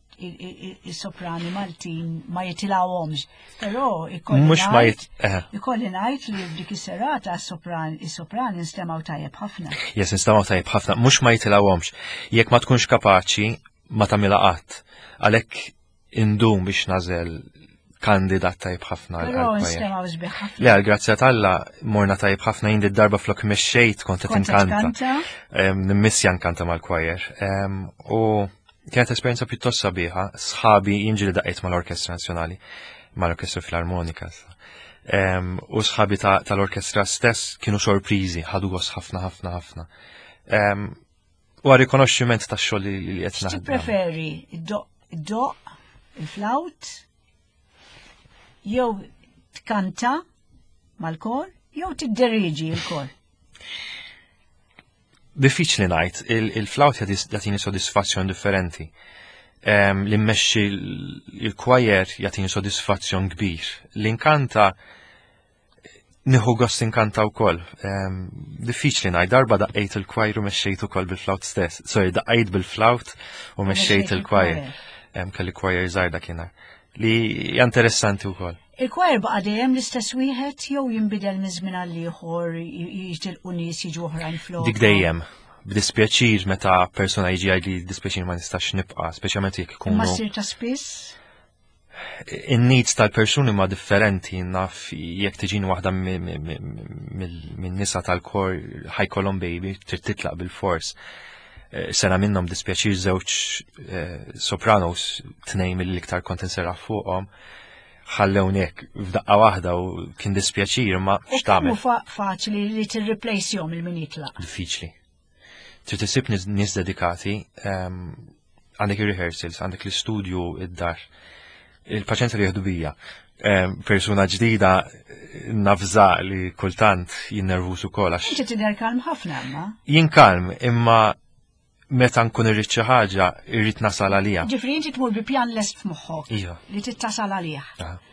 il-soprani Maltin ma jitilgħuhomx. Però ikolli mhux ma ngħid- jit eh, ikolli ngħid li f'dik is-serata s-sopran is-soprani nstemgħu tajjeb ħafna. Yes, instemgħu tajjeb ħafna, mhux ma jitilgħuhomx. Jekk ma tkunx kapaċi, ma tagħmilha qatt. Għalhekk indum biex nagħżel kandidat tajjeb ħafna għal Però għal choir. nstemgħu sbieħ ħafna. Le, għal grazzja t'Alla, morna tajjeb ħafna jien darba flok mexxejt kont qed Kont qed inkanta. tkanta? Em, Nimmissja nkanta mal-choir. Em, U kienet esperjenza pjuttost sabiħa. Sħabi jien ġieli daqqejt mal-Orkestra Nazzjonali, mal-Orkestra Filarmonika. issa. Em, U sħabi ta- tal-orkestra stess kienu sorpriżi, ħadu gost ħafna ħafna ħafna. Em, U għal rikonoxximent ta' xogħol li li qed naħdem. Tippreferi id-doq, id-doq, il-flawt, jew tkanta mal-kor, jew tidderiġi il-kor? Diffiċli ngħid, il-flawt jagħtini sodisfazzjon differenti. Em, Li mmexxi il-choir jagħtini sodisfazzjon kbir. L-inkanta nieħu gost inkanta wkoll. Em, Diffiċli ngħid, darba daqqejt il-choir u mexxejt ukoll bil-flawt stess. Sorry, daqqejt bil-flawt u mexxejt il-choir. Em, Kelli choir żgħir dakinhar. Li hija interessanti wkoll. Il-choir baqa dejjem l-istess wieħed jew jinbidel minn żmien għal ieħor jitilqu nies jiġu oħrajn flok. Dik dejjem. B'dispjaċir meta persona jiġi jgħid li dispjaċir ma nistax nibqa', speċjalment jekk Imma ikunu ssir ta' spiss? In-needs tal-persuni ma differenti, naf jekk tiġini waħda minn nisa tal-kor ħa jkollhom baby, trid titlaq bil-fors. Eh, Sena minnhom dispjaċir żewġ eh, sopranos, tnejn mill-iktar kont inserraħ fuqhom, ħallewnek f'daqqa waħda u kien dispjaċir ma U kemm hu x'tagħmel. fa- faċli li tirreplacehom il-min jitlaq? Diffiċli. Trid isib nies nies dedikati, ehm, għandek ir-rehearsals, għandek l-istudju id-dar. Il-paċenzja li jieħdu bija. Persuna ġdida nafza li kultant jinnervus ukoll għax. Inti tidher kalm ħafna imma. Jien kalm, imma meta nkun irrid xi ħaġa irrid nasal għalija. Ġifri inti tmur bi pjan lest f'moħħok. Iva. Li tittasal għalih.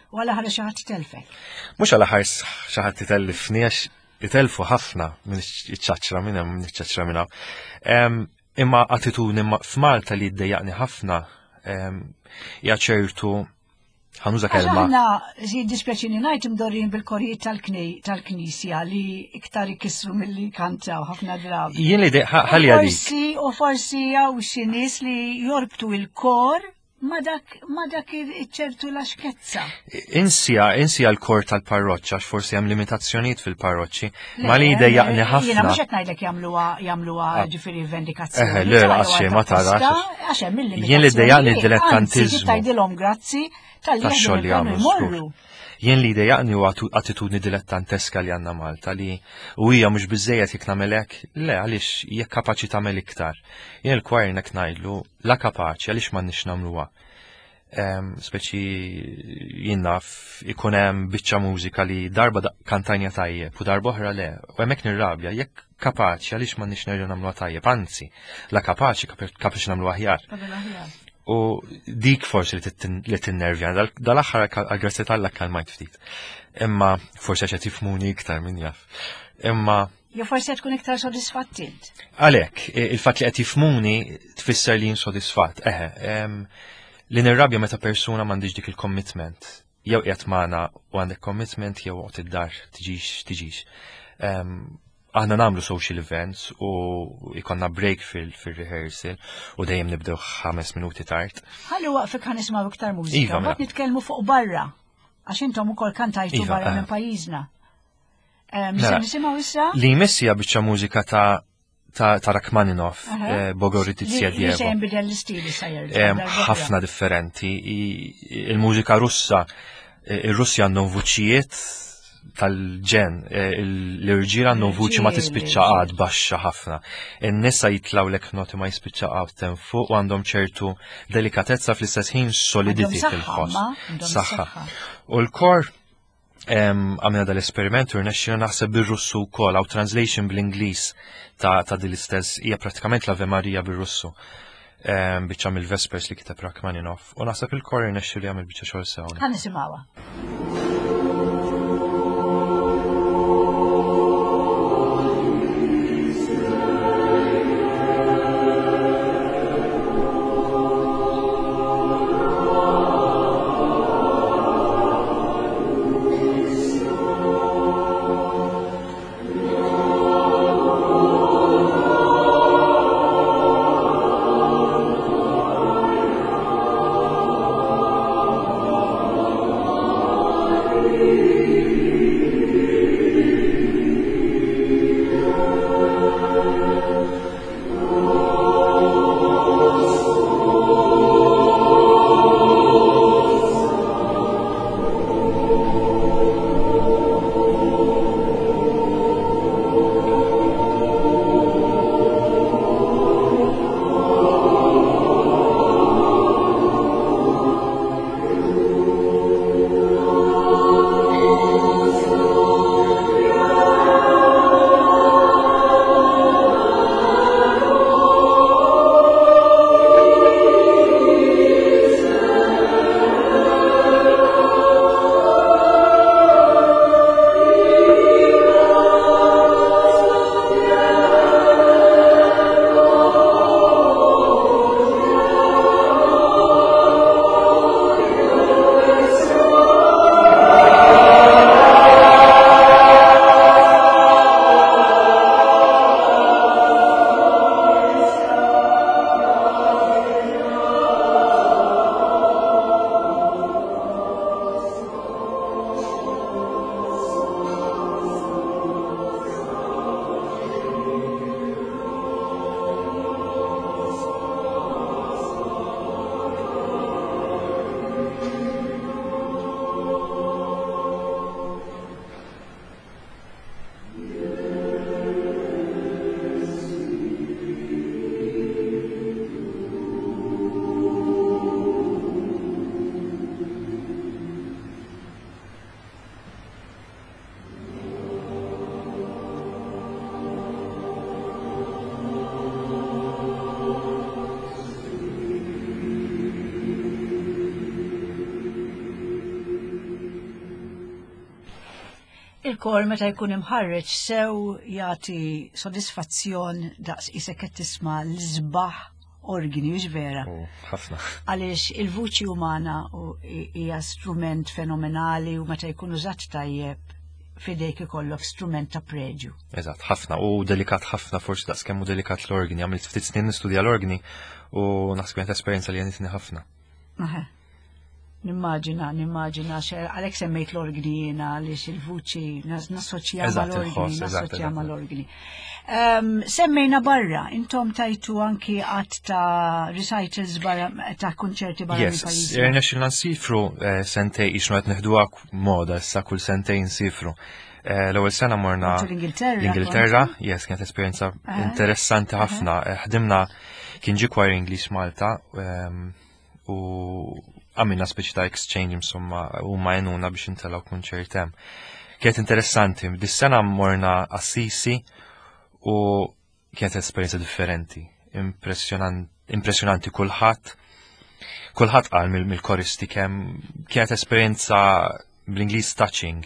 U għal aħħar xi ħadd telfek. Mhux għal aħħar xi ħadd itellifni għax itelfu ħafna minn iċ-ċaċra minn hemm minn iċ-ċaċra minn hawn. Imma attitudni f'Malta li ddejjaqni ħafna hija ċertu ħanuża kelma. Aħna jiddispjaċini ngħid imdorrin bil-korijiet tal-Knisja li iktar ikissru milli kantaw ħafna drabi. Jien li ħalli għadik. Forsi u forsi hawn xi nies li jorbtu il-kor ma dak ma dak iċ-ċertu laxkezza. Insija, insija l-kor tal-parroċċa għax forsi hemm limitazzjonijiet fil-parroċċi, ma li jdejjaqni ħafna. Jiena mhux qed ngħidlek jagħmluha jagħmluha ġifieri vendikazzjoni. Eh, le, għax ma tarax. Għax hemm il-limitazzjoni. Jien li jdejjaqni d-dilettantiżmu. Tgħidilhom grazzi tal-xogħol li jagħmlu. Jien li jdejjaqni huwa attitudni dilettanteska li għandna Malta li u hija mhux biżejjed jekk nagħmel hekk, le għaliex jekk kapaċi tagħmel iktar. Jien il-kwajr nek ngħidlu la kapaċi għaliex m'għandniex nagħmluha. Speċi jien naf ikun hemm biċċa mużika li darba kantajna tajjeb u darba oħra le, u hemmhekk nirrabja jekk kapaċi għaliex m'għandniex nerġgħu nagħmluha tajjeb, anzi, la kapaċi kapaċi nagħmluha aħjar. U dik forsi li tinnervja, dal-aħħar għal-grazzja t'Alla kalmajt ftit. Imma forsi għax qed jifhmuni iktar min jaf. Imma jew forsi qed tkun iktar sodisfatt int. Għalhekk, il-fatt li qed jifhmuni tfisser li jien sodisfatt. Eħe, li nirrabja meta persuna m'għandix dik il-commitment. Jew qiegħed magħna u għandek commitment jew oqgħod id-dar tiġix tiġix. Aħna nagħmlu social events u ikonna break fil-rehearsal u dejjem nibdew ħames minuti tard. Ħalli waqfek ħa nisimgħu iktar mużika, mbagħad nitkellmu fuq barra għax intom ukoll kantajtu barra minn pajjiżna. Se nisimgħu issa? Li jmiss hija biċċa mużika ta' ta' Rachmaninoff, Bogoroditsia Dievo. Li se jinbidel l-istil issa jerġa'. Ħafna differenti. Il-mużika Russa, ir-Russja għandhom vuċijiet tal-ġen, l-irġiel għandhom vuċi ma tispiċċa għad baxxa ħafna. In-nisa jitlaw lek noti ma jispiċċa għad tem fuq u għandhom ċertu delikatezza fl-istess ħin solidity fil-ħoss. Saħħa. U l-kor għamilna dal-esperiment u rnexxina naħseb bir-Russu wkoll, għaw translation bl-Ingliż ta' din l-istess hija prattikament l-Ave Maria bir-Russu. Biċċa mill-Vespers li kiteb Rachmaninoff. U naħseb il-kor irnexxielu li jagħmel biċċa xogħol sew. Ħa nisimgħuha. Thank you. Il-kor meta jkun imħarreġ sew jagħti sodisfazzjon daqs isek qed tisma' l-isbaħ organi, mhux vera? Ħafna. Għaliex il-vuċi umana hija strument fenomenali u meta jkun użat tajjeb fidejk ikollok strument ta' preġju. Eżatt, ħafna u delikat ħafna, forsi daqs kemm hu delikat l-organi. Għamilt ftit snin nistudja l-organi u naħseb kienet esperjenza li għenitni ħafna. Aha. Nimmaġina, nimmaġina, għalhekk semmejt l-organi jiena, għaliex il-vuċi nassoċja mal-organi, nassoċja mal-organi. Semmejna barra, intom tajtu anki għadd ta' recitals barra, ta' konċerti barra. Yes, irnexxilna nsifru eh, sentej, ixnu qed neħduha moda issa kull sentej nsifru. Eh, l-ewwel sena morna l-Ingilterra. L-Ingilterra, yes, kienet esperjenza interessanti ħafna. Eh, ħdimna, kien ġie choir English Malta u għamilna speċi ta' exchange, insomma, u ma għenuna biex intellgħu kunċert hemm. Kienet interessanti, dis-sena morna Assisi u kienet esperjenza differenti, impressjonanti. Kulħadd kulħadd qal mill-koristi kemm kienet esperjenza, bl-Ingliż touching.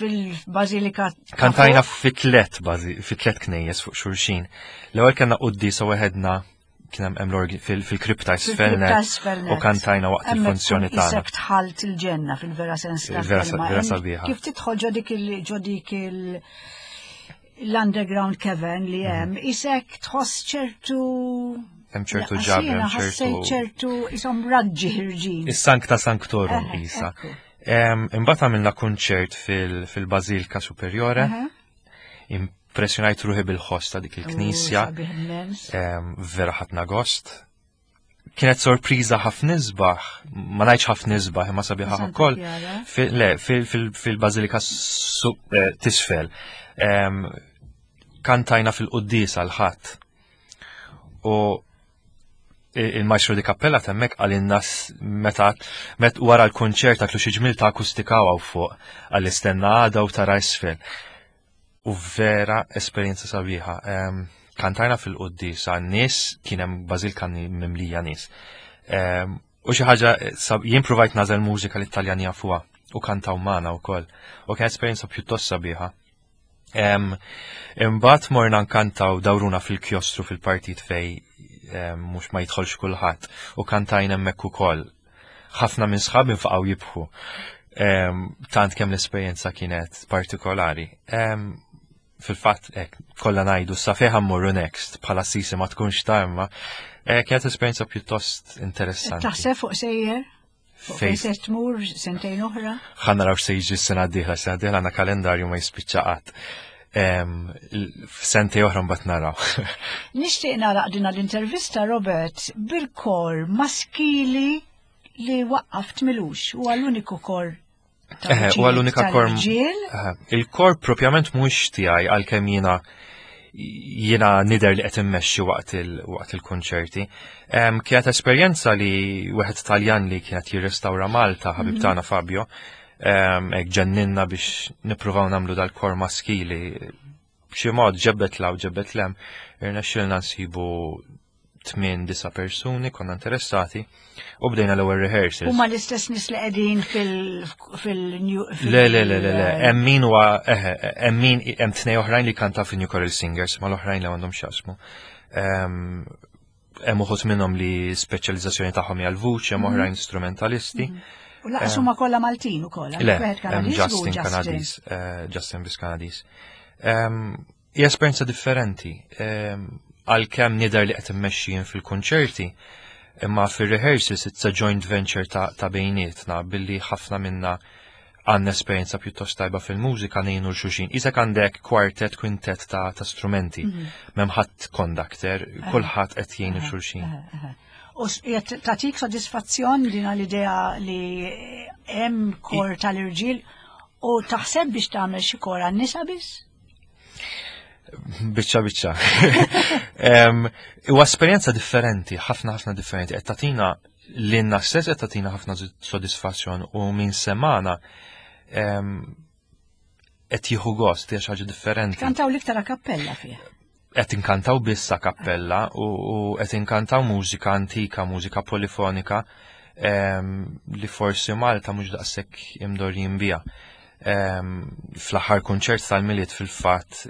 Fil-Bazilika. Kantajna fi tlet fi tlet knejjes fuq xulxin. L-ewwel kellna quddiesa weħedna, kien hemm l-orgi fil-kripta isfel u kantajna waqt il-funzjoni tagħna. Isek dħalt il-ġenna fil-vera sens ta' vera sabiħa. Kif tidħol ġo dik il ġo dik il l-underground cavern li hemm, isek tħoss ċertu Hemm ċertu ġabra, hemm ċertu ċertu isom raġġi ħirġin. Is-Sancta Sanctorum isa. Imbagħad għamilna kunċert fil-Bażilika Superiore. Impressjonajt ruħi bil-ħoss ta' dik il-knisja. Vera ħadna gost. Kienet sorpriża ħafna isbaħ, ma ngħidx ħafna isbaħ, imma sabiħa ukoll. Le, fil-Bażilika eh, t'isfel. Kantajna fil-quddiesa l-Ħadd. U il-maestro di cappella hemmhekk għal meta met wara l-konċert għatlu xi ġmil ta' akustika hawn fuq, għall-istenna għada u tara isfel. U vera esperjenza sabiħa. Kantajna fil-quddiesa, nies kien hemm, bażilika mimlija nies. U xi ħaġa, jien provajt nagħżel mużika li Italjani jafuha u kantaw magħna wkoll. U kien esperjenza pjuttost sabiħa. Imbagħad morna nkantaw, dawruna fil-kjostru fil-partit fej mhux ma jidħolx kulħadd u kantajna hemmhekk ukoll. Ħafna minn sħabi nfaqgħu jibħu. Tant kemm l-esperjenza kienet partikolari. Fil-fatt, ek, kollha ngħidu sa fejn mmorru next, bħala Assisi ma tkunx ta' imma eh, kienet esperjenza pjuttost interessanti. Taħseb fuq sejjer? Fejn se tmur sentejn oħra? Ħa naraw se jiġi s-sena d-dieħla, s-sena d-dieħla għandna kalendarju ma jispiċċa qatt. F'sentejn oħra mbagħad naraw. Nixtieq nagħlaq din l-intervista, Robert, bil-kor maskili li waqqaft m'ilux, u l-uniku kor. U l-unika kor. Il-kor propjament mhux tiegħi, għalkemm jiena jiena nidher li qed immexxi waqt il-konċerti. Kienet esperjenza li wieħed Taljan li kienet jirrestawra Malta, ħabib mhm. tagħna Fabio, hekk ġenninna biex nippruvaw nagħmlu dal-kor maskili. B'xi mod ġebbet 'l hawn ġebbet 'l hemm, irnexxielna nsibu tmien disa' persuni konna interessati u bdejna l-ewwel rehearsals. Huma l-istess nies li qegħdin fil fil Le, le, le, le, le, hemm min huwa eħe, hemm min hemm tnej oħrajn li kanta fil-New Choral Singers, ma l-oħrajn li għandhom x'jaqsmu. Hemm uħud minnhom li speċjalizzazzjoni tagħhom hija l-vuċi, hemm oħrajn strumentalisti. U lanqas huma kollha Maltin ukoll. Le, hemm Justin Kanadis, eh, Justin bis Kanadis. Hija esperjenza differenti. Għalkemm nidher li qed immexxi fil-konċerti, imma fil-rehearsals it's a joint venture ta', ta bejnietna, billi ħafna minna għandna esperjenza pjuttost tajba fil-mużika, ngħinu 'l xulxin. Isek għandek kwartet, kwintet ta', ta strumenti, mm -hmm. m'hemm ħadd conductor, kulħadd qed jgħin 'il xulxin. U tatik sodisfazzjon din l-idea li hemm kor tal-irġiel u taħseb biex tagħmel xi kor għan-nisa biss? Biċċa biċċa. Huwa esperjenza differenti, ħafna ħafna differenti. Qed tagħtina lilna stess, qed tagħtina ħafna sodisfazzjon u min semana qed jieħu gost, hija xi ħaġa differenti. Kantaw l-iktar a cappella fih. Qed inkantaw biss a cappella u qed inkantaw mużika antika, mużika polifonika li forsi Malta mhux daqshekk imdorrijin biha. Fl-aħħar kunċert tal-Milied fil-fatt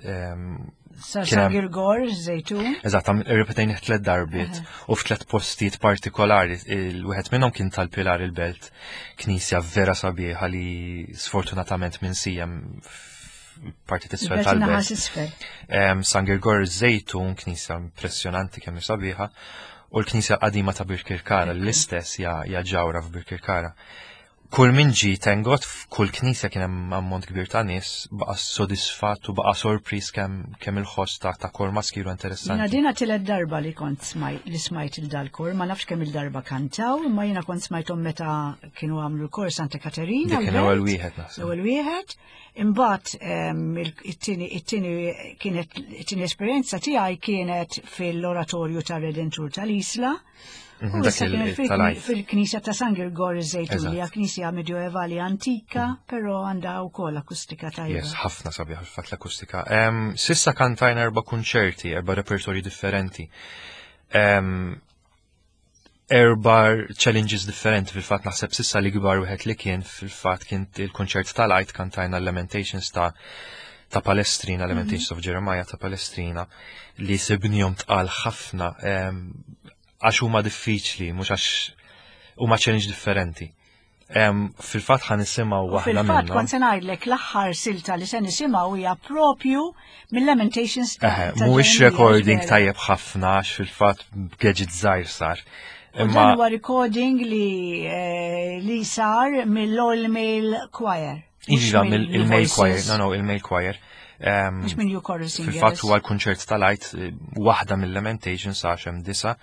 Sa San Girgor, Żejtun. Eżatt, irrepetejnih tliet darbiet u f'tliet postijiet partikolari. Il-wieħed minnhom kien tal-Pilar il-Belt, knisja vera sabiħa li sfortunatament minsija parti t'isfel tal-belt. San Girgor Żejtun, knisja impressjonanti kemm sabiħa, u l-knisja qadima ta' Birkirkara, l-istess hija ġawra f'Birkirkara. Kull min ġie tengot f'kull knisja kien hemm ammont kbir ta' nies, baqa' sodisfatt u baqa' sorpriż kemm kemm il-ħoss ta' ta' kor maskilu interessanti. Jiena dina tielet darba li kont smajt li smajt il dal-kor, ma nafx kemm il-darba kantaw, imma jiena kont smajthom meta kienu għamlu l-kor Santa Katerina. Dik kien l-ewwel wieħed naħseb. L-ewwel wieħed. Imbagħad it-tieni it-tieni kienet it-tieni esperjenza tiegħi kienet fil-Oratorju tar-Redentur tal-Isla. U issa kienet fil-knisja ta' San Girgor iż-Żejtun, li hija knisja medjoevali antika, però għandha wkoll akustika tajba. Yes, ħafna sabiħ fil-fatt l-akustika. Sissa kantajna erba' kunċerti, erba' repertorji differenti. Erba' challenges differenti fil-fatt naħseb sissa li kbar wieħed li kien fil-fatt kien il-kunċert tal-Għid, kantajna Lamentations ta' ta' Palestrina, Lamentations of Jeremiah ta' Palestrina, li sibnihom tqal ħafna għax huma diffiċli, mhux għax huma challenge differenti. Fil-fatt ħa nisimgħu waħda Fil-fatt minnhom. kont se ngħidlek l-aħħar silta li se nisimgħu hija propju mill-Lamentations ta' Eħe, ta' mhuwiex Jeremiah, recording vera. tajjeb ħafna għax fil-fatt gadget żgħir sar. U Imma dan huwa recording li eh, li sar mill-All Male Choir. Mhux Iva, mill- mill-male Voices. choir, no, no, il-male choir. Em, Mhux minn New Chorus Singers. Fil-fatt huwa l-kunċert tal-Għid, eh, waħda mill-Lamentations għax hemm disa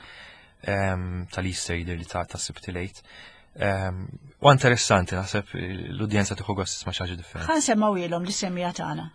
em, tal-Easter jidher li ta' ta' Sibt il-Għid. Em, U interessanti, naħseb eh, l-udjenza tieħu gost tisma' xi ħaġa differenti. Ħa nsemmgħu lis-semmiegħa tagħna.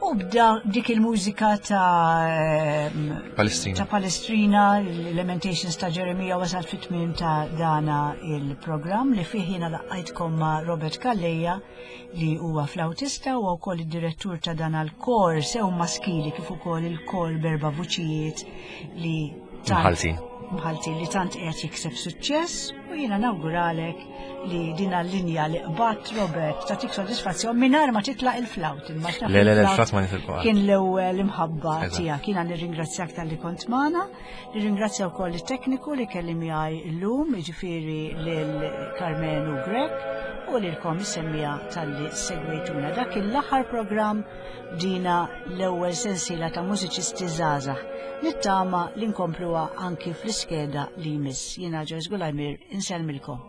U bda dik il-mużika ta' ehm, Palestrina. ta' Palestrina, l-Lamentations ta' Jeremia wasal fit-tmiem ta' dana il-programm li fih jiena laqajtkom ma' Robert Calleja li huwa flautista u wkoll id-direttur ta' dan l-kor sew maskili kif ukoll il-kor b'erba' vuċijiet li tant Mħaltin. Mħaltin li tant qiegħed jikseb suċċess u jiena nawguralek li din l-linja li qbadt Robert tagħtik sodisfazzjon mingħajr ma titlaq il-flawt. Imma x'naf Le, le, le, il-flawt il-flawt ma nitilqu qatt. Kien l-ewwel imħabba Eżatt. tiegħek. Jiena nirringrazzjak talli kont magħna, nirringrazzja wkoll it-tekniku li kelli miegħi llum, jiġifieri lil Carmenu Grech u lilkom is-semmiegħa talli segwejtuna. Dak l-aħħar programm dina l-ewwel sensiela ta' mużiċisti żgħażagħ. Nittama li nkompluha anki fl-iskeda li jmiss. Jiena Joyce Gulajmir insellmilkom.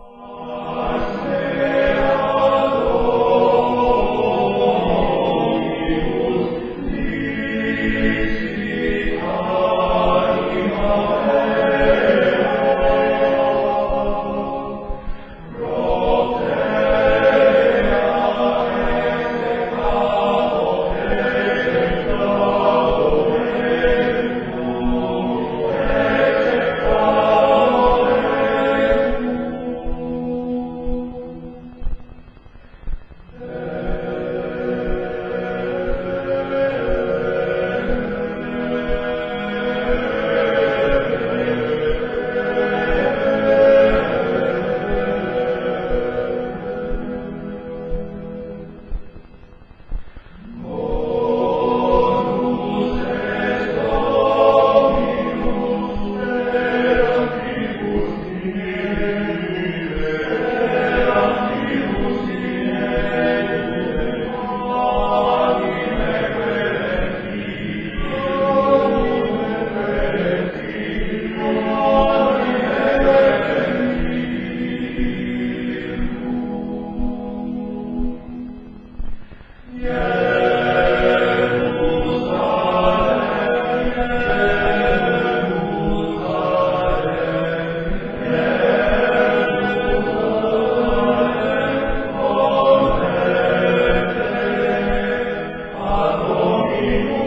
Thank you.